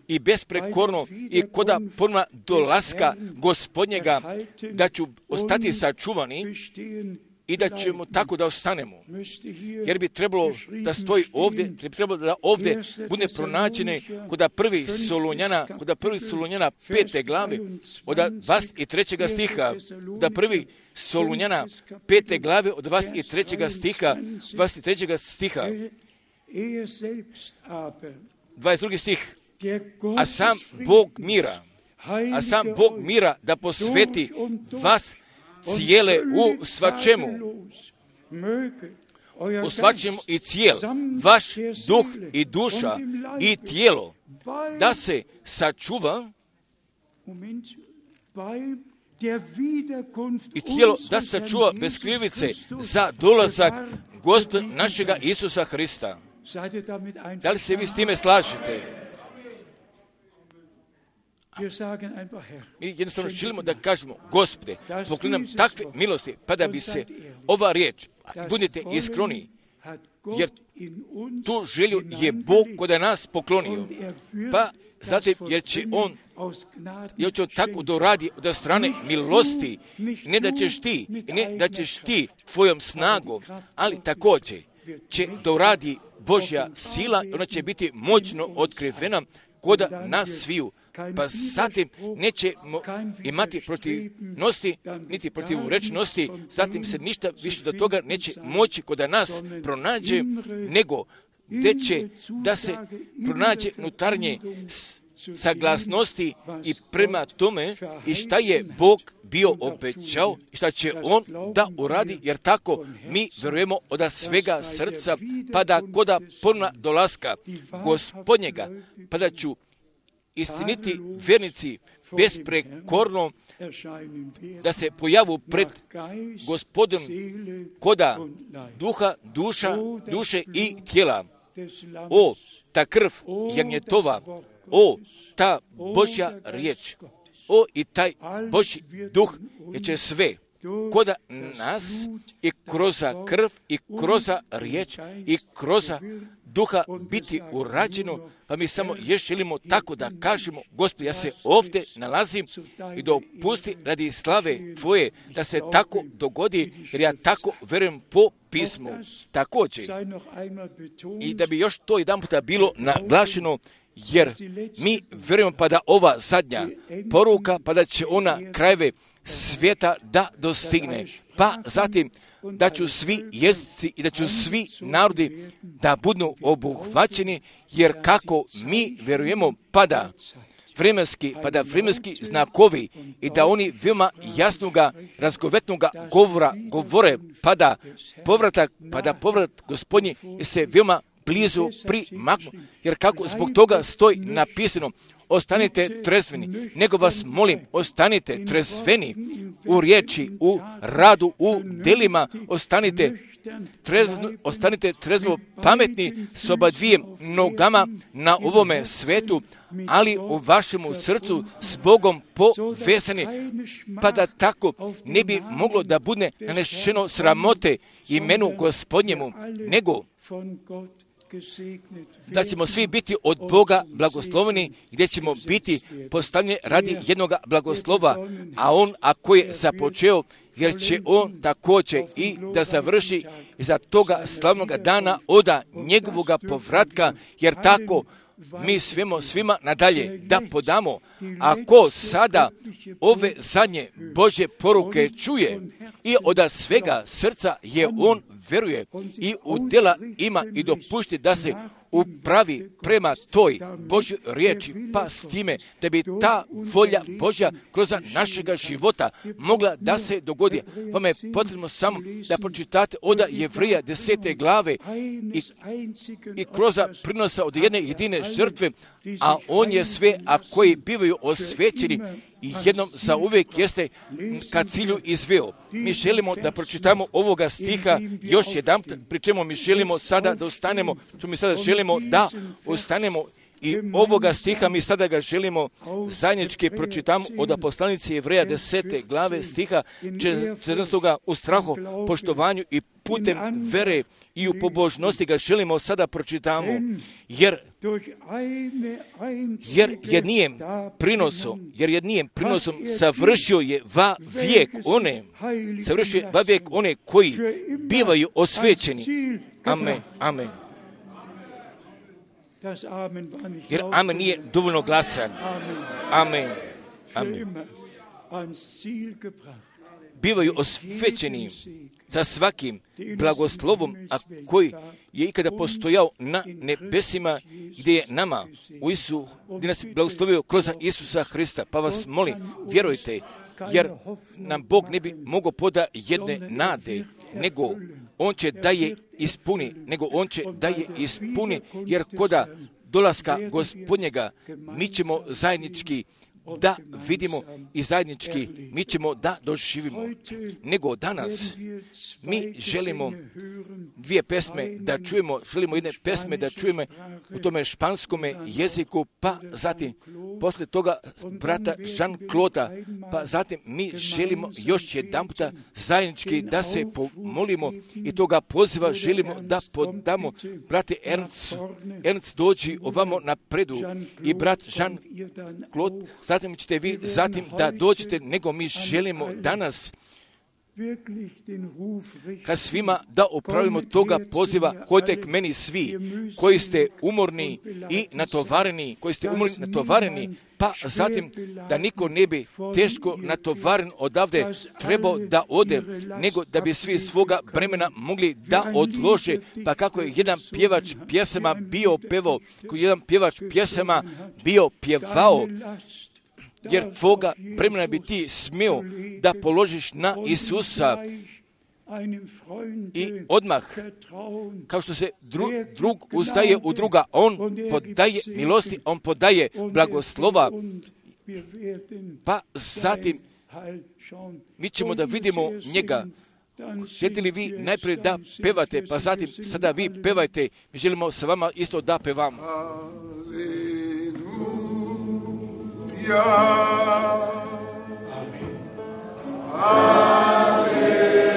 i besprekorno i koda ponovna dolaska Gospodnjega da ću ostati sačuvani i da ćemo tako da ostanemo. Jer bi trebalo da stoji ovdje, da ovdje bude pronađene koda 1. Solunjana 5. glave od 23. stiha, da 1. Solunjana 5. glave od 23. stiha, 22. stih, a sam Bog mira da posveti vas cijele u svačemu i cijel, vaš duh i duša i tijelo, da se sačuva i tijelo da se sačuva bez krivice za dolazak Gospoda našega Isusa Hrista. Da li se vi s time slažete? Mi jednostavno želimo da kažemo, Gospode, pokloni nam takve milosti, pa da bi se ova riječ, budite iskreni, jer tu želju je Bog koda nas poklonio, pa zatim jer će on tako doradi od strane milosti, ne da ćeš ti tvojom snagom, ali također će doradi Božja sila, ona će biti moćno otkrivena koda nas sviju. Pa zatim nećemo imati protivnosti, niti protivrečnosti, zatim se ništa više do toga neće moći koda nas pronađe, nego gdje će da se pronađe unutarnje saglasnosti i prema tome i šta je Bog bio obećao i šta će on da uradi, jer tako mi verujemo od svega srca, pa da koda ponovna dolaska Gospodnjega, pa da ću istiniti vjernici besprekorno da se pojavu pred Gospodom koda duše i tijela. O, ta krv jagnjetova, o, ta Božja riječ, o, i taj Božji duh, jer će sve koda nas i kroz krv i kroz riječ i kroz duha biti urađeno, pa mi samo još želimo tako da kažemo, Gospod, ja se ovdje nalazim i dopusti radi slave Tvoje da se tako dogodi, jer ja tako verujem po pismu. Također, i da bi još to jedan puta bilo naglašeno, jer mi vjerujemo pa da ova zadnja poruka, pa da će ona krajeve svijeta da dostigne. Pa zatim da ću svi jezici i da ću svi narodi da budu obuhvaćeni, jer kako mi vjerujemo pada vremenski znakovi i da oni veoma jasnoga, razgovetnoga govore pada povrat Gospodnji se veoma blizu primaknu, jer kako zbog toga stoji napisano, ostanite trezveni, nego vas molim, ostanite trezveni u riječi, u radu, u delima, ostanite trezvo pametni s oba dvije nogama na ovome svetu, ali u vašemu srcu s Bogom povezani, pa da tako ne bi moglo da bude nanešeno sramote imenu Gospodnjemu, nego da ćemo svi biti od Boga blagosloveni, gdje ćemo biti postavljeni radi jednoga blagoslova, a on ako je započeo, jer će on također i da završi za toga slavnog dana oda njegovoga povratka, jer tako mi svima nadalje da podamo. Ako sada ove zadnje Božje poruke čuje i od svega srca je on veruje i u djela ima i dopušti da se upravi prema toj Božjoj riječi, pa s time da bi ta volja Božja kroz našega života mogla da se dogodi. Vama je potrebno samo da pročitate od Jevrija 10. glave i kroz prinosa od jedne jedine žrtve, a on je sve, a koji bivaju osvećeni i jednom za uvijek jeste ka cilju izveo. Mi želimo da pročitamo ovoga stiha još jedan, pri čemu mi želimo sada da ostanemo, želimo da ostanemo i ovoga stiha mi sada ga želimo zajednički pročitamo od poslanice Jevreja 10. glave stiha 14. u strahu, poštovanju i putem vere i u pobožnosti ga želimo sada pročitamo, jer jednijem prinosom završio je va vijek one koji bivaju osvećeni. Amen. Jer amen nije dovoljno glasan. Amen. Bivaju osvećeni sa svakim blagoslovom, a koji je ikada postojao na nebesima, gdje je nama gdje nas je blagoslovio kroz Isusa Hrista. Pa vas molim, vjerujte, jer nam Bog ne bi mogao poda jedne nade, nego on će da je ispuni, jer koda dolaska Gospodnjega mi ćemo zajednički da vidimo i zajednički mi ćemo da doživimo. Nego danas mi želimo dvije pesme da čujemo, želimo jedne pesme da čujemo u tome španskome jeziku, pa zatim posle toga brata Jean-Claude, pa zatim mi želimo još jedan puta zajednički da se pomolimo i toga poziva želimo da podamo. Brate Ernst dođi ovamo napredu i brat Jean-Claude, zatim ćete vi da dođete, nego mi želimo danas kad svima da opravimo toga poziva, hojte k meni svi koji ste umorni i natovareni, pa zatim da niko ne bi teško natovaren odavde trebao da ode, nego da bi svi svoga bremena mogli da odlože, pa kako je jedan pjevač pjesama bio pjevao, jer tvoga bremena bi ti smio da položiš na Isusa i odmah, kao što se drug uzdaje u druga, on podaje milosti, on podaje blagoslova, pa zatim mi ćemo da vidimo njega. Želite li vi najprije da pevate, pa zatim sada vi pevajte, mi želimo sa vama isto da pevamo. Amen. Halleluja. Halleluja.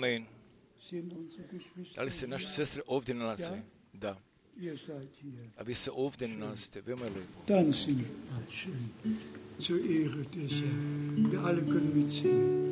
Amen. Da li se naše sestre ovdje nalaze? Da. A vi se ovdje nalazite, veoma je lijepo. Dann singen wir schön zur Ehre des Herrn. Wir alle können mitsingen.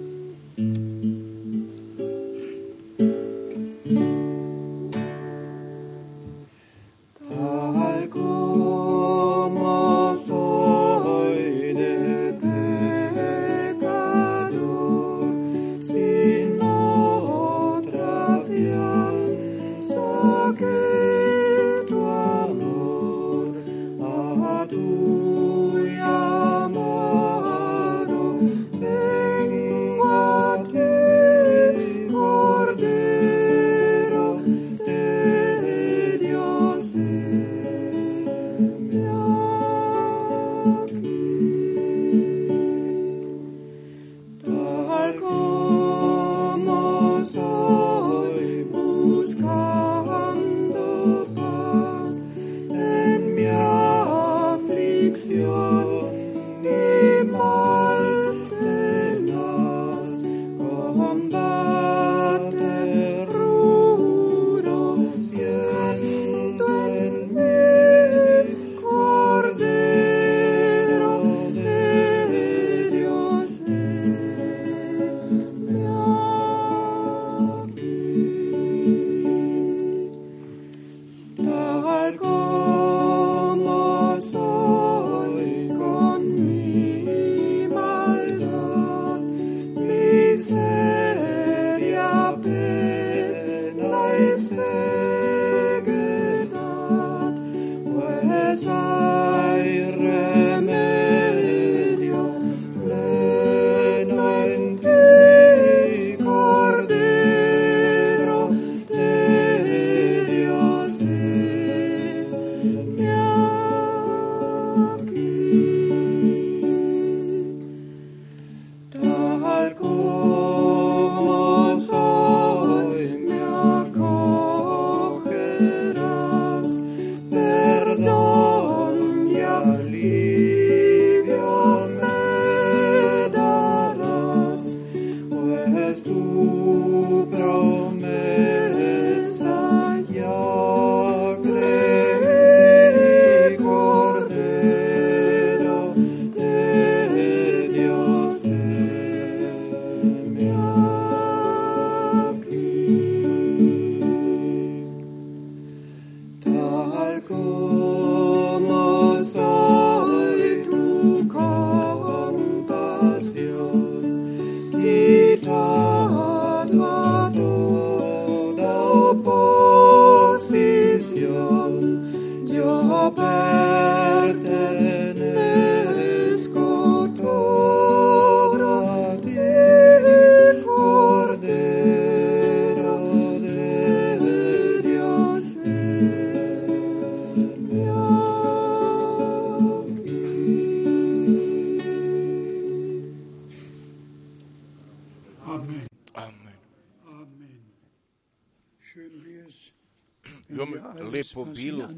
Lijepo bilo,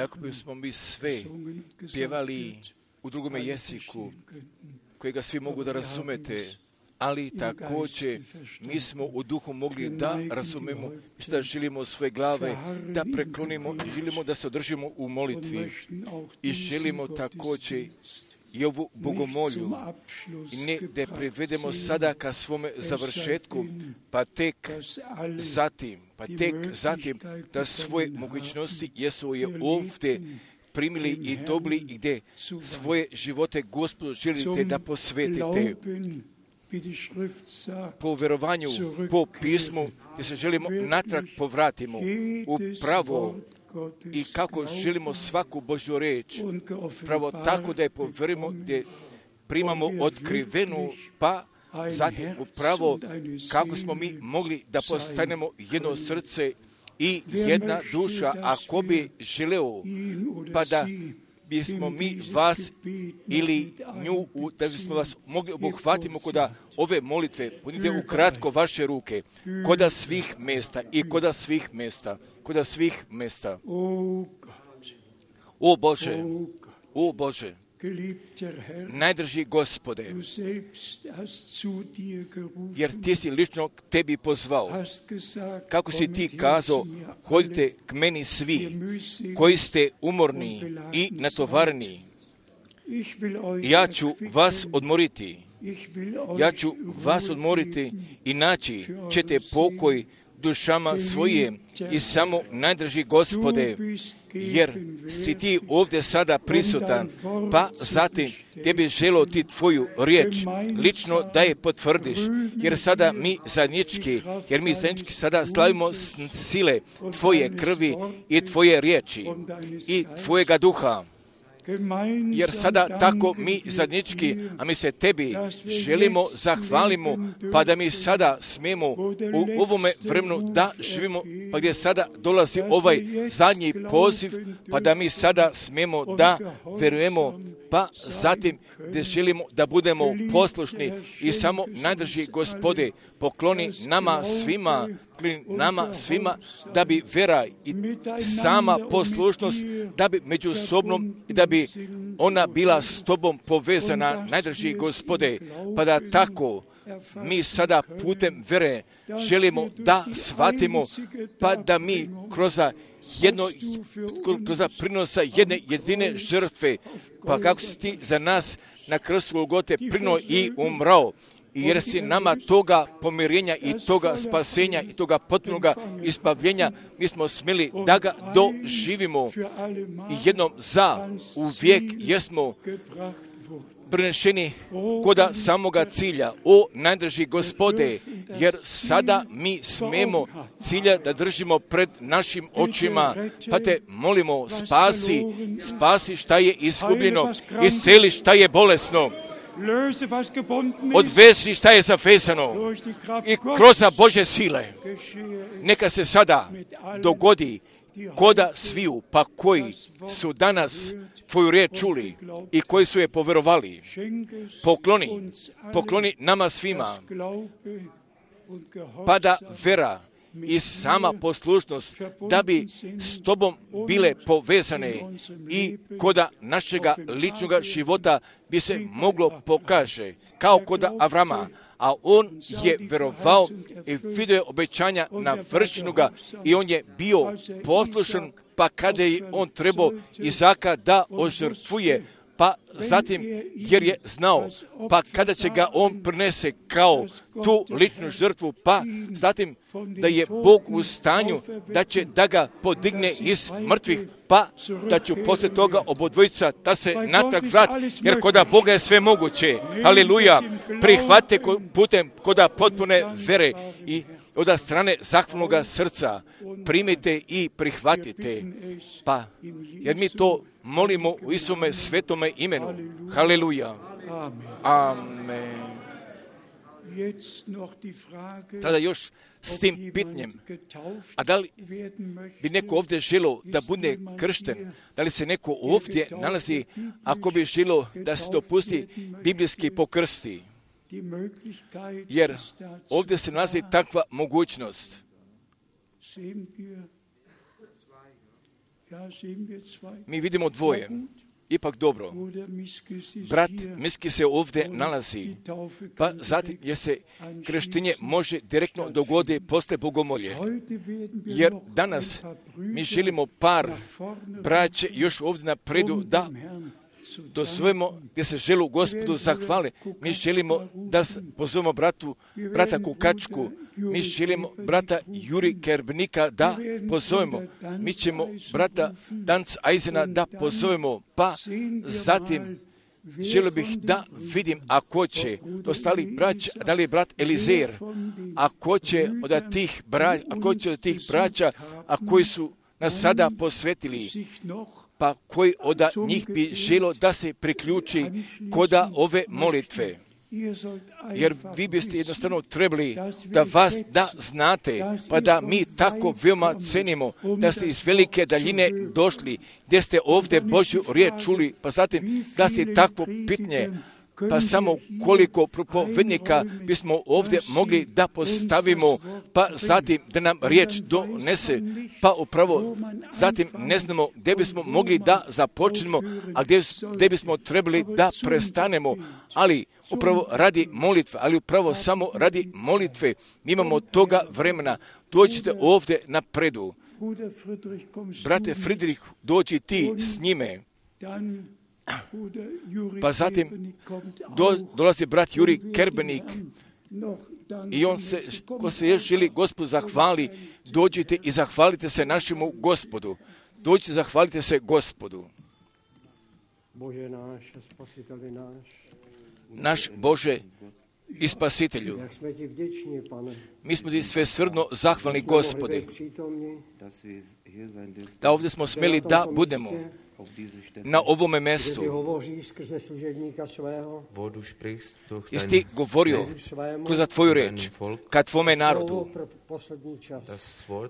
ako bismo mi sve pjevali u drugome jeziku, kojega svi mogu da razumete, ali također mi smo u duhu mogli da razumemo, da želimo svoje glave, da preklonimo i želimo da se održimo u molitvi i želimo također i ovu bogomolju ne da privedemo sada ka svome završetku, pa tek zatim da svoje mogućnosti jesu je ovdje primili i dobili i gdje svoje živote Gospodu želite da posvetite po verovanju, po pismu, gdje se želimo natrag povratimo u pravo i kako želimo svaku Božju reč, pravo tako da je poverimo, gdje primamo otkrivenu, pa zatim upravo kako smo mi mogli da postanemo jedno srce i jedna duša, ako bi želeo, pa da bismo mi vas ili nju, da bismo vas mogli obuhvatimo kod ove molitve, punite ukratko vaše ruke, kod svih mjesta i kod svih mjesta. O Bože, Najdrži Gospode, jer ti si lično k tebi pozvao. Kako si ti kazao, hodite k meni svi, koji ste umorni i natovareni. Ja ću vas odmoriti. Ja ću vas odmoriti i naći ćete pokoj dušama svoje i samo najdrži Gospode, jer si ti ovdje sada prisutan, pa zatim tebi želo ti tvoju riječ lično da je potvrdiš, jer sada mi zajednički sada slavimo sile tvoje krvi i tvoje riječi i tvojega duha. Jer sada tako mi zajednički, a mi se tebi želimo, zahvalimo, pa da mi sada smijemo u ovome vremenu da živimo, pa gdje sada dolazi ovaj zadnji poziv, pa da mi sada smijemo da verujemo, pa zatim gdje želimo da budemo poslušni i samo najdrži Gospode pokloni nama svima da bi vera i sama poslušnost, da bi međusobno, da bi ona bila s tobom povezana, najdrži Gospode, pa da tako mi sada putem vere želimo da shvatimo, pa da mi kroz prinosa jedne jedine žrtve, pa kako si ti za nas na krstu Golgote prinuo i umrao, jer si nama toga pomirenja i toga spasenja i toga potpunoga ispavljenja, mi smo smjeli da ga doživimo i jednom za uvijek jesmo prenešeni koda samoga cilja. O najdrži Gospode, jer sada mi smemo cilja da držimo pred našim očima, pa te molimo, spasi šta je izgubljeno, isceli šta je bolesno, odveži šta je zavezano i kroz Božje sile. Neka se sada dogodi koda sviju, pa koji su danas tvoju riječ čuli i koji su je poverovali. Pokloni nama svima, pa da vera i sama poslušnost da bi s tobom bile povezane i koda našega ličnoga života bi se moglo pokaže kao koda Avrama, a on je verovao i vidio je obećanja navršenoga i on je bio poslušan, pa kada je on trebao Izaka da ožrtvuje, pa zatim jer je znao, pa kada će ga on prinese kao tu ličnu žrtvu, pa zatim da je Bog u stanju da će da ga podigne iz mrtvih, pa da ću poslije toga obodvojica da se natrag vrati, jer koda Boga je sve moguće. Haleluja! Prihvatite putem koda potpune vere i od strane zahvalnoga srca primite i prihvatite, pa jer mi to molimo u Isuse svetome imenu. Haleluja. Amen. Sada još s tim pitanjem, a da li bi neko ovdje želio da bude kršten, da li se neko ovdje nalazi ako bi želio da se dopusti biblijski pokrsti? Jer ovdje se nalazi takva mogućnost. Mi vidimo dvoje. Ipak dobro. Brat Miski se ovdje nalazi, pa zatim je se krštenje može direktno dogoditi posle bogomolje. Jer danas mi želimo par braće još ovdje napredu da dozvojimo gdje se želu Gospodu zahvale. Mi želimo da pozovemo brata Kukačku, mi želimo brata Juri Kerbnika da pozovemo, mi ćemo brata Danc Eisena da pozovemo, pa zatim želio bih da vidim ako će ostali braća, da li je brat Elizer, ako će od tih braća, a koji su nas sada posvetili, pa koji od njih bi želo da se priključi koda ove molitve. Jer vi biste jednostavno trebali da vas da znate, pa da mi tako veoma cenimo, da ste iz velike daljine došli, gdje ste ovdje Božju riječ čuli, pa zatim da se takvo pitanje pa samo koliko propovednika bismo ovdje mogli da postavimo, pa zatim da nam riječ donese, pa upravo zatim ne znamo gdje bismo mogli da započnemo, a gdje bismo trebali da prestanemo, ali upravo radi molitve, ali upravo samo radi molitve, mi imamo toga vremena. Dođite ovdje napredu. Brate Friedrich, dođi ti s njime. Pa zatim dolazi brat Juri Kerbenik i ko se još želi Gospodu zahvali, dođite i zahvalite se našemu Gospodu. Dođite i zahvalite se Gospodu. Naš Bože i Spasitelju, mi smo ti svesrdno zahvalni, Gospode, da ovdje smo smjeli da budemo na ovome mjestu. Jesi ti govorio kroz tvoju riječ ka tvome narodu,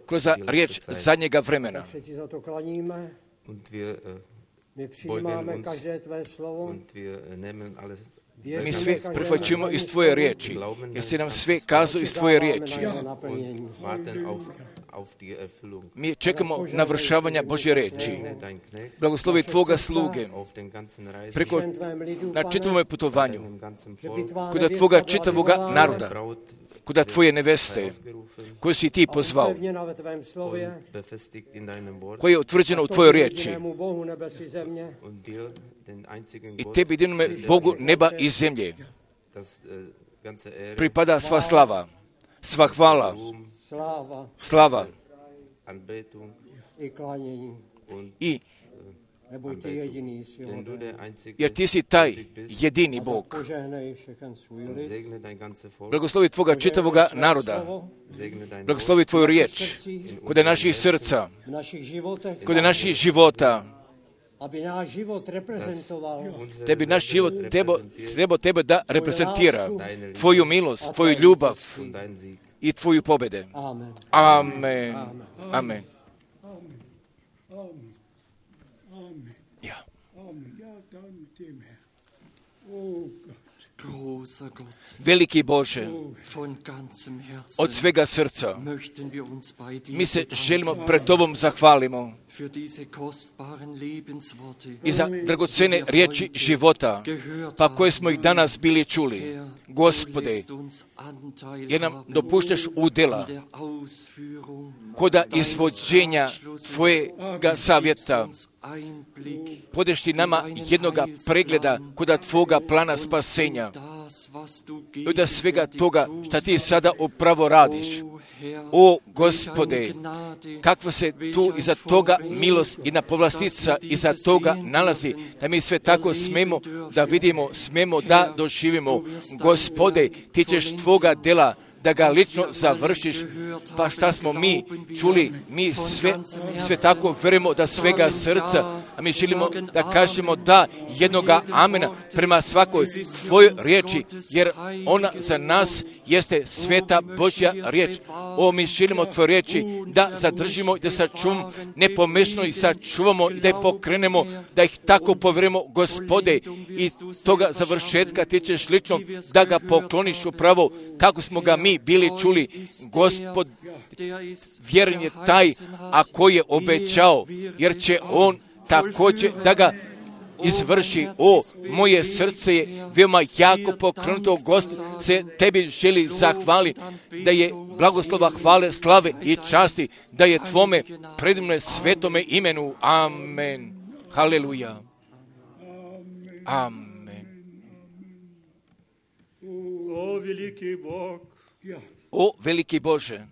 kroz riječ zadnjega vremena. Mi sve prihvaćujemo iz tvoje riječi, jer si nam sve kazao iz tvoje riječi. Mi čekamo navršavanja Božje riječi. Blagoslovi tvoga sluge na čitavom putovanju, kod tvoga čitavoga naroda, kod tvoje neveste, koju si ti pozvao, koje je utvrđeno u tvojoj riječi. I tebi jedinome Bogu neba i zemlje pripada sva slava, sva hvala, slava i jer ti si taj jedini Bog. Blagoslovi tvoga čitavoga naroda, blagoslovi tvoju riječ kod naših srca, kod naših života, da bi naš život trebao tebe da reprezentira, tvoju milost, tvoju ljubav i tvoju pobjede. Amen. Amen. Ja. Veliki Bože, od svega srca mi se želimo pred Tobom zahvalimo i za dragocene riječi života, pa koje smo ih danas bili čuli. Gospode, jer nam dopuštaš udjela koda izvođenja Tvojega savjeta. Podeš ti nama jednoga pregleda koda Tvoga plana spasenja. I od svega toga što ti sada upravo radiš. O Gospode, kakva se tu iza toga milost i povlastica iza toga nalazi, da mi sve tako smemo da vidimo, smemo da doživimo. Gospode, ti ćeš Tvoga dela da ga lično završiš, pa šta smo mi čuli, mi sve tako verujemo da svega srca, a mi želimo da kažemo da jednoga amena prema svakoj tvojoj riječi, jer ona za nas jeste sveta Božja riječ. O, mi želimo tvoje riječi da zadržimo i da sačuvamo, nepomešno ih sačuvamo i da ih pokrenemo, da ih tako povjerujemo, Gospode, i toga završetka ti ćeš lično da ga pokloniš upravo kako smo ga mi bili čuli. Gospod, vjeren je taj, a koji je obećao, jer će on također da ga izvrši. O, moje srce je veoma jako pokrenuto, Gospod, se tebi želi zahvali, da je blagoslova, hvale, slave i časti, da je tvome predivne svetome imenu. Amen. Haleluja. Amen. O, veliki Bog. O, veliki Bože,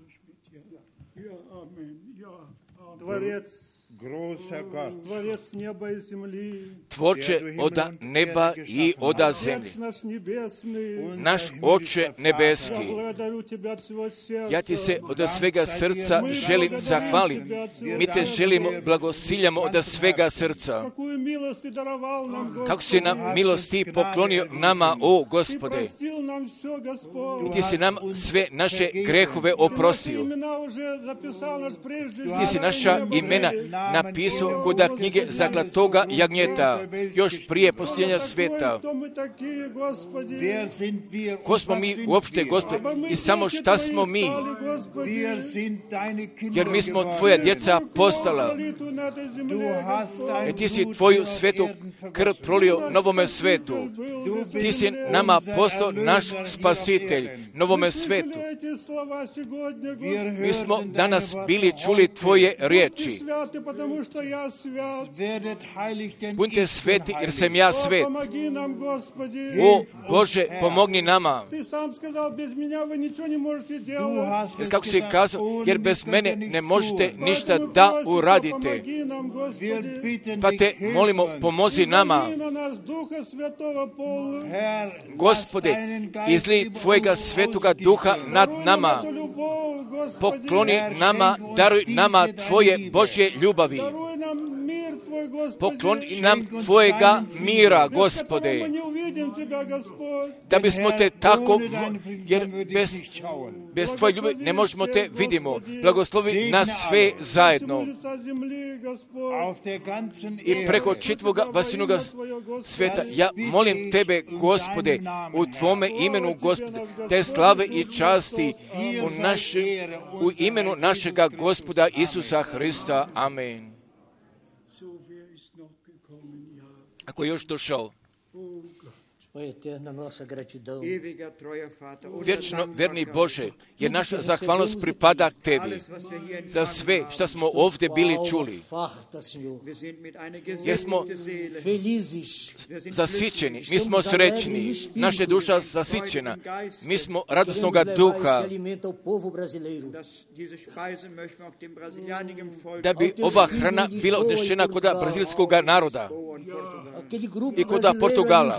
Tvorče oda neba i oda zemlje, naš Oče nebeski, ja ti se od svega srca želim zahvaliti. Mi te želimo, blagosiljamo od svega srca. Kako si nam milosti poklonio nama, o Gospode. I ti si nam sve naše grehove oprostio. Ti si naša imena napisao kod knjige Zaklatoga jagnjeta, još prije postojenja sveta. Ko smo mi uopšte, Gospode, i samo šta smo mi? Jer mi smo tvoja djeca postala. Ti si tvoju svetu krv prolio novome svetu. Ti si nama postao naš spasitelj, novome svetu. Mi smo danas bili čuli tvoje riječi. Budite sveti jer sam ja svet. O Bože, pomogni nama. Jer kako si kazao, jer bez mene ne možete ništa da uradite. Pa te molimo, pomozi nama. Gospode, izli tvojega svetoga duha nad nama. Pokloni nama, daruj nama tvoje Božje ljubavi. Pokloni nam tvojega mira, Gospode. Da bismo te tako, jer bez tvoje ljubavi ne možemo te vidimo. Blagoslovi nas sve zajedno. I preko čitvoga vasinoga sveta, ja molim tebe, Gospode, u tvome imenu, Gospode, te slave i časti u imenu našega Gospoda Isusa Hrista. Amen. Ako je još došao, vječno verni Bože, jer naša zahvalnost pripada tebi za sve što smo ovdje bili čuli. Jer smo zasićeni, mi smo srećni, naša duša zasićena, mi smo radosnoga duha. Da bi ova hrana bila odnešena kod brazilskog naroda i kod Portugala,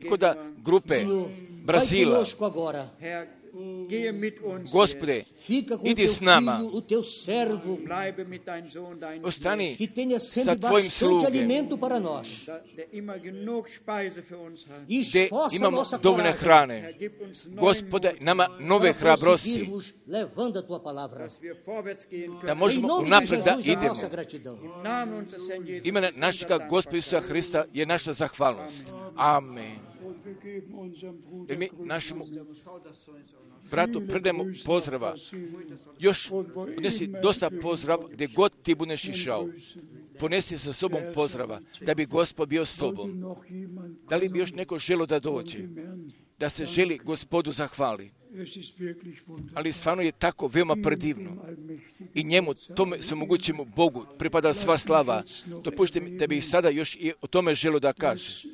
kod grupe Brazila. Gospode, idi s nama, ostani sa tvojim slugem, gdje imamo dovoljne hrane. Gospode, nama nove hrabrosti, da možemo unaprijed da idemo. Ime našega Gospoda Isusa Hrista je naša zahvalnost. Amen. Jer mi našemu bratu predajemo pozdrava. Još unesi dosta pozdrava gdje god ti budeš išao. Ponesi sa sobom pozdrava da bi Gospod bio s tobom. Da li bi još neko želo da dođe? Da se želi Gospodu zahvali. Ali stvarno je tako veoma predivno. I njemu, tome samogućemu Bogu, pripada sva slava. Dopušte mi da bih sada još i o tome želo da kaže.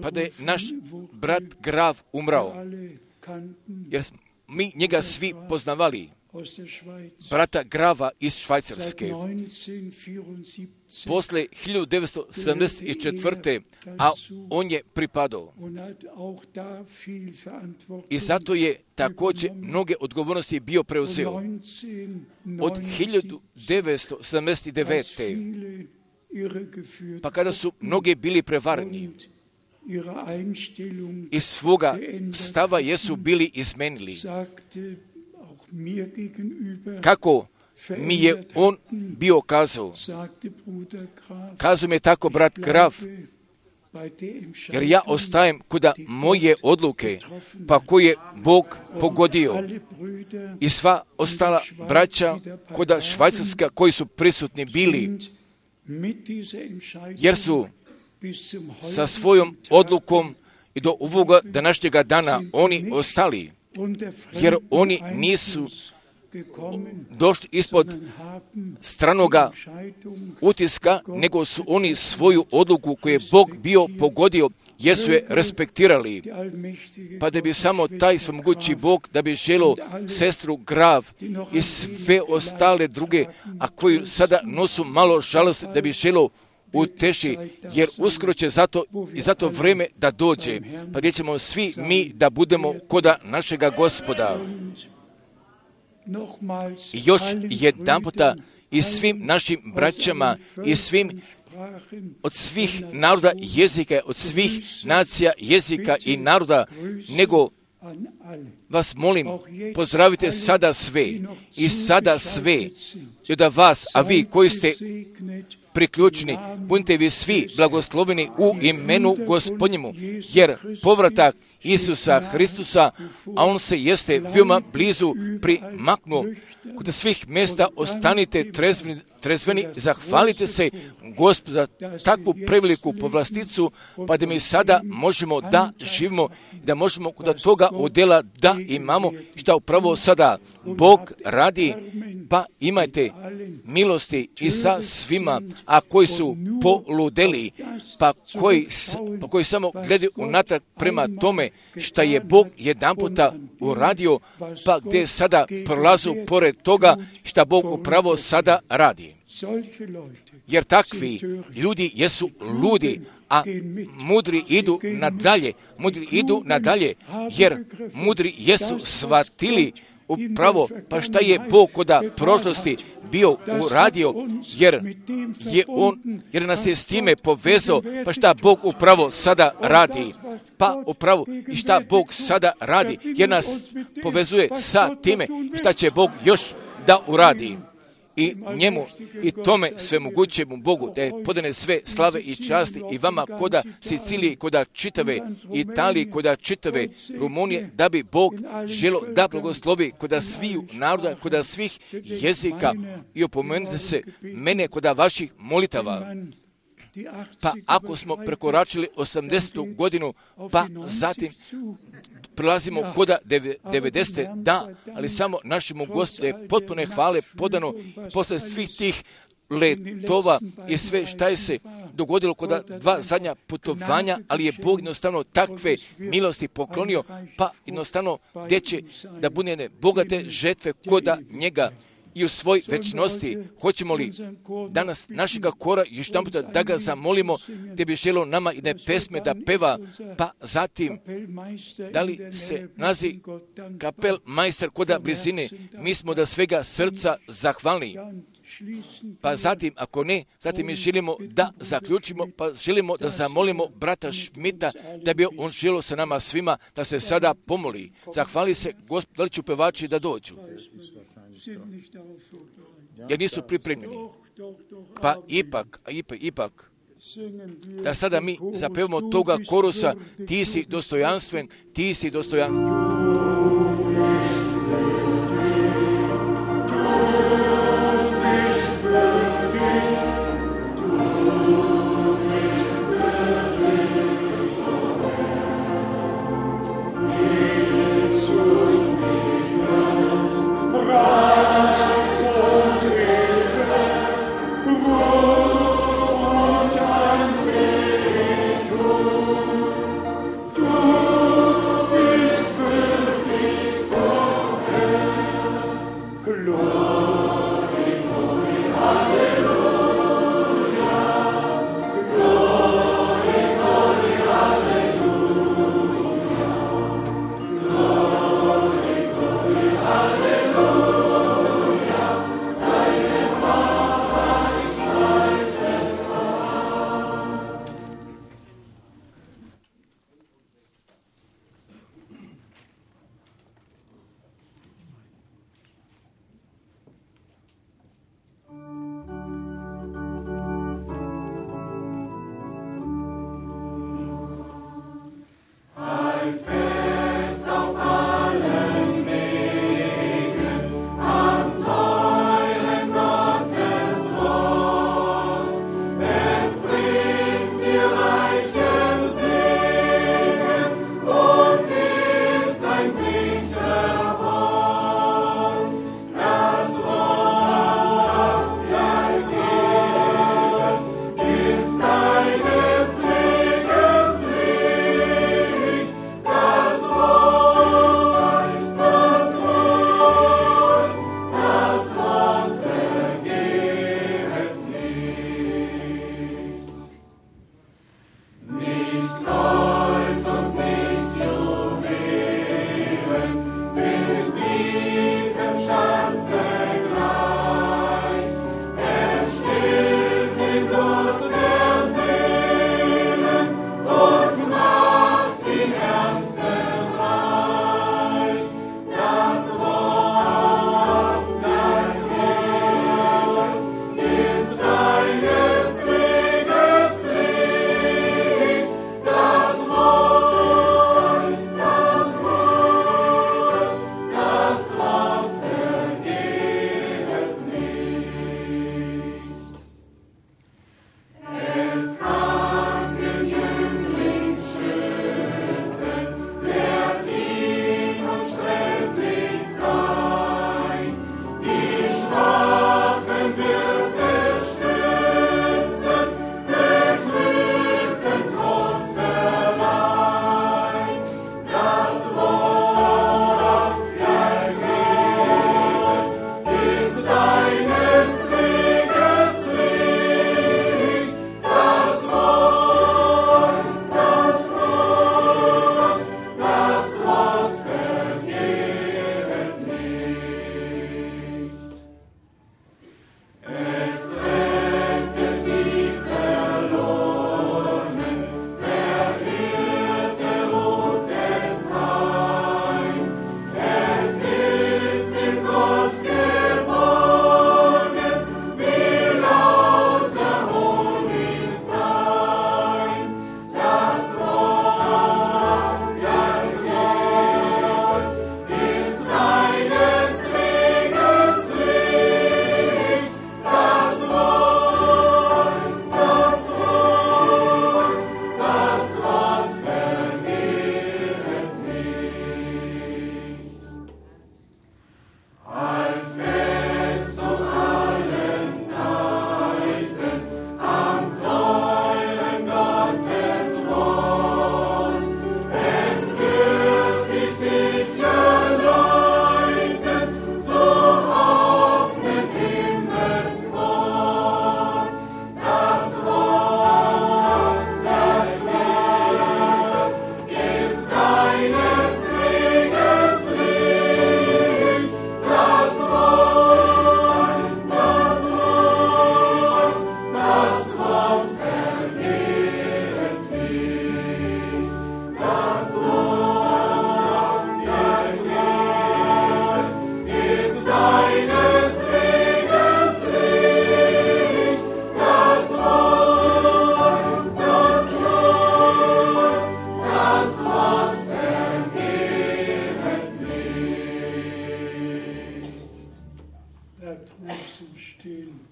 Pa da je naš brat Graf umrao, jer mi njega svi poznavali, brata Grava iz Švajcarske. Posle 1974. a on je pripadao. I zato je također mnoge odgovornosti bio preuzeo. Od 1979. pa kada su mnogi bili prevareni i svoga stava jesu bili izmenili. Kako mi je on bio kazao? Kazao mi je tako brat Graf, jer ja ostajem kuda moje odluke, pa koje je Bog pogodio. I sva ostala braća kuda Švajcarska koji su prisutni bili, jer su sa svojom odlukom i do ovoga današnjega dana oni ostali, jer oni nisu došli ispod stranoga utiska, nego su oni svoju odluku koju je Bog bio pogodio, jesu je respektirali. Pa da bi samo taj svemogući Bog, da bi želio sestru Graf i sve ostale druge, a koju sada nosu malo žalosti, da bi želio uteši, jer uskoro će zato vreme da dođe, pa gdje ćemo svi mi da budemo koda našega Gospoda. I još jedan puta i svim našim braćama i svim od svih naroda jezika, od svih nacija jezika i naroda, nego vas molim, pozdravite sada sve i sada sve i da vas, a vi koji ste priključeni, budite vi svi blagosloveni u imenu Gospodnjemu, jer povratak Isusa Hristusa, a on se jeste veoma blizu primaknuo. Kod svih mjesta ostanite trezveni, zahvalite se Gospodu za takvu preveliku povlasticu, pa da mi sada možemo da živimo, da možemo kod toga odjela da imamo šta upravo sada Bog radi, pa imajte milosti i sa svima, a koji su poludeli, pa koji samo gledaju unatrag prema tome šta je Bog jedanputa uradio, pa gdje sada prolazu pored toga šta Bog upravo sada radi. Jer takvi ljudi jesu ludi, a mudri idu nadalje, jer mudri jesu shvatili upravo pa šta je Bog kod prošlosti bio uradio, jer nas je s time povezao, pa šta Bog upravo sada radi, pa upravo i šta Bog sada radi, jer nas povezuje sa time šta će Bog još da uradi. I njemu i tome svemogućemu Bogu da je podane sve slave i časti i vama koda Sicilije, koda čitave Italije, koda čitave Rumunije, da bi Bog želo da blagoslovi koda sviju naroda, koda svih jezika i opomenite se mene koda vaših molitava. Pa ako smo prekoračili 80. godinu, pa zatim prelazimo koda 90. da, ali samo našemu Gospodu je potpune hvale podano posle svih tih letova i sve šta je se dogodilo kod dva zadnja putovanja, ali je Bog jednostavno takve milosti poklonio, pa jednostavno gdje će da bude bogate žetve koda njega i u svoj večnosti. Hoćemo li danas našega kora još jedan puta da ga zamolimo, gdje bi želo nama jedne pesme da peva, pa zatim da li se nazi kapel majster koda blizine, mi smo da svega srca zahvalni. Pa zatim, ako ne, zatim mi želimo da zaključimo, pa želimo da zamolimo brata Šmita, da bi on želio sa nama svima da se sada pomoli. Zahvali se Gospod, da li ću pevači da dođu? Jer nisu pripremljeni. Pa ipak, da sada mi zapevamo toga korusa, ti si dostojanstven, ti si dostojanstven. Du bist würdig vor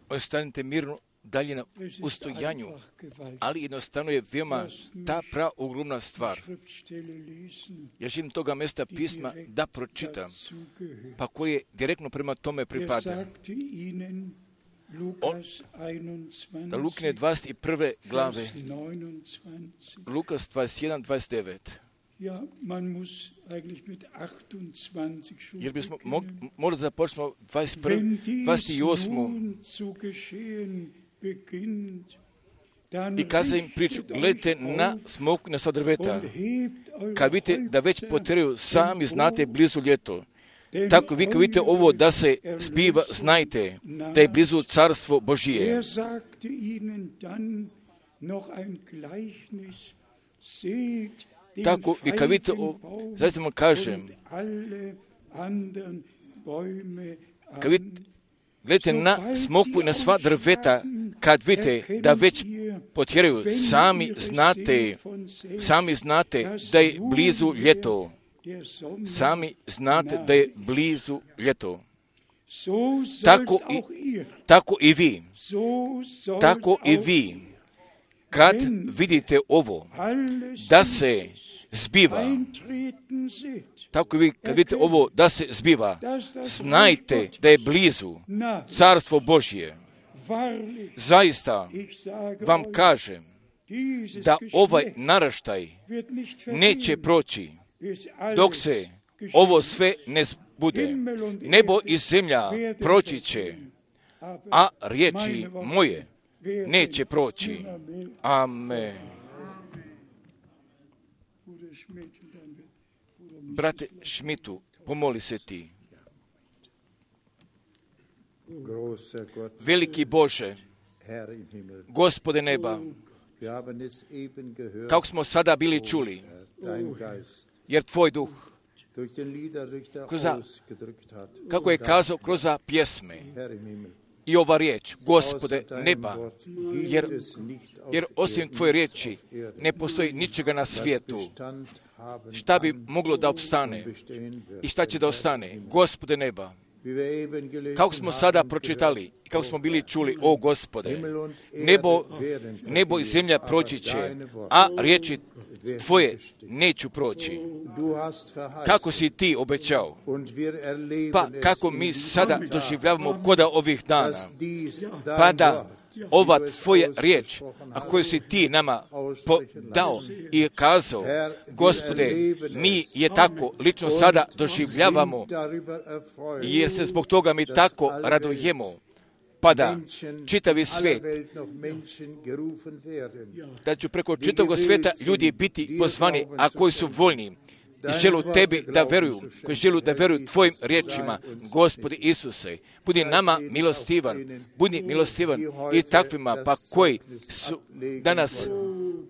Ostanite mirno dalje na ustojanju, ali jednostavno je veoma ta praogromna stvar. Ja želim toga mjesta pisma da pročitam, pa koje direktno prema tome pripada. Da Lukine 21. glave, Lukas 21, 29. Jer bismo morali da počnemo 28. I kaza im priču, gledajte na smokvina sva drveta, kad vidite da već poteraju, sami znate blizu ljeto. Tako vi kad vidite ovo da se zbiva, znajte da je blizu carstvo Božije. Tako i kad vidite, zaista vam kažem, kad vidite, gledajte na smokvu i na sva drveta, kad vidite da već potjeraju, sami znate da je blizu ljeto. Sami znate da je blizu ljeto. Tako i vi, kad vidite ovo, da se zbiva, tako i vi, kad vidite ovo, da se zbiva, znajte da je blizu carstvo Božje. Zaista vam kažem da ovaj naraštaj neće proći dok se ovo sve ne bude. Nebo i zemlja proći će, a riječi moje neće proći. Amen. Brate Šmitu, pomoli se ti. Veliki Bože, Gospode neba, kako smo sada bili čuli, jer Tvoj duh, kako je kazao kroz pjesme i ova riječ, Gospode neba, jer osim Tvoje riječi ne postoji ničega na svijetu. Šta bi moglo da opstane i šta će da ostane? Gospode neba, kako smo sada pročitali i kako smo bili čuli, o Gospode, nebo i zemlja proći će, a riječi Tvoje neću proći. Kako si Ti obećao? Pa kako mi sada doživljavamo koda ovih dana? Pa da ova Tvoja riječ, a koju si Ti nama dao i kazao, Gospode, mi je tako lično sada doživljavamo, jer se zbog toga mi tako radujemo, pa da čitavi svijet, da ću preko čitavog svijeta ljudi biti pozvani, a koji su voljni i želu Tebi da veruju, koji želu da veruju Tvojim riječima, Gospodi Isuse, budi nama milostivan i takvima, pa koji su danas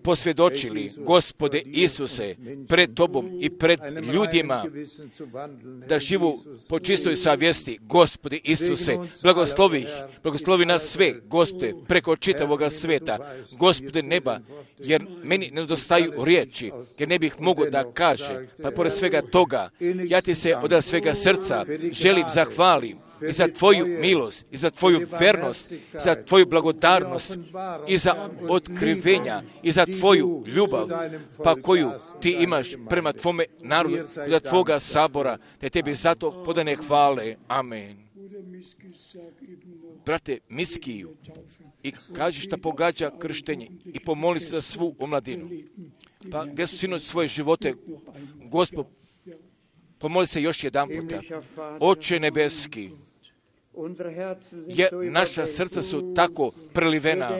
posvjedočili, Gospode Isuse, pred Tobom i pred ljudima, da živu po čistoj savjesti, Gospode Isuse, blagoslovi nas sve, Gospode, preko čitavoga svijeta, Gospode neba, jer meni nedostaju riječi, jer ne bih mogao da kaže, pa pored svega toga, ja Ti se od svega srca želim zahvalim i za Tvoju milost, i za Tvoju vernost, za Tvoju blagodarnost, i za otkrivenja, i za Tvoju ljubav, pa koju Ti imaš prema Tvome narodu, za Tvoga sabora, te Tebi zato podane hvale. Amen. Brate Miskiju, i kaži šta pogađa krštenje, i pomoli se za svu omladinu. Pa gdje su sinoć svoje živote, Gospod, pomoli se još jedan puta. Oče nebeski, jer naša srca su tako prelivena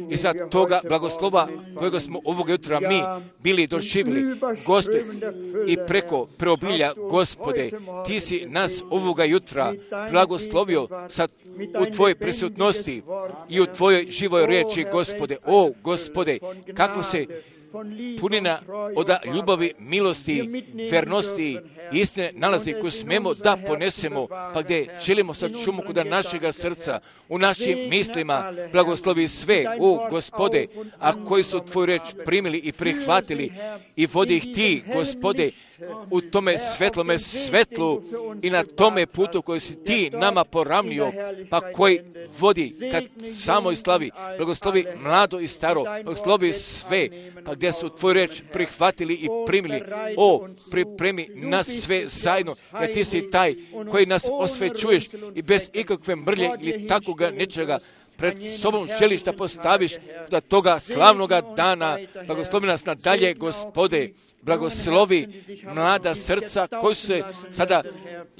i za toga blagoslova kojega smo ovoga jutra mi bili doživjeli, Gospode, i preko preobilja, Gospode, Ti si nas ovoga jutra blagoslovio u Tvojoj prisutnosti i u Tvojoj živoj riječi, Gospode. O, Gospode, kako se punina od ljubavi, milosti, vernosti, istine nalazi koju smemo da ponesemo, pa gdje želimo sad šumu kod našega srca, u našim mislima, blagoslovi sve, o Gospode, a koji su Tvoju reč primili i prihvatili i vodi ih Ti, Gospode, u tome svetlome svetlu i na tome putu koji si Ti nama poravnio, pa koji vodi ka samoj slavi. Blagoslovi mlado i staro, blagoslovi sve, pa gdje su Tvoju reč prihvatili i primili. O, pripremi nas sve zajedno, jer Ti si taj koji nas osvećuješ i bez ikakve mrlje ili takoga nečega pred sobom želiš da postaviš do toga slavnoga dana. Blagoslovi nas nadalje, Gospode. Blagoslovi mlada srca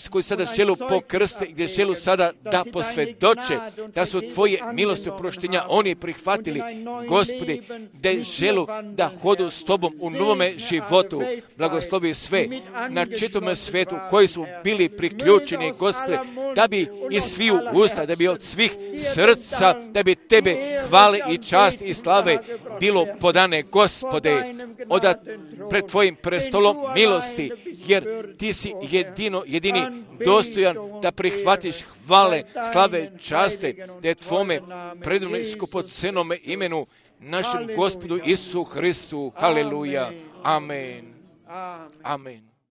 koji sada želu pokrste i gdje želu sada da posvjedoče da su Tvoje milosti oproštenja oni prihvatili, Gospodi, da želu da hodu s Tobom u novome životu. Blagoslovi sve na čitome svetu koji su bili priključeni, Gospode, da bi iz sviju usta, da bi od svih srca, da bi Tebe hvale i čast i slave bilo podane, Gospode, pred Tvojim prestolom milosti, jer Ti si jedini dostojan da prihvatiš hvale, slave, časte, da je Tvome predivnom skupocenome imenu našem Gospodu Isusu Hristu. Haleluja. Amen. Amen.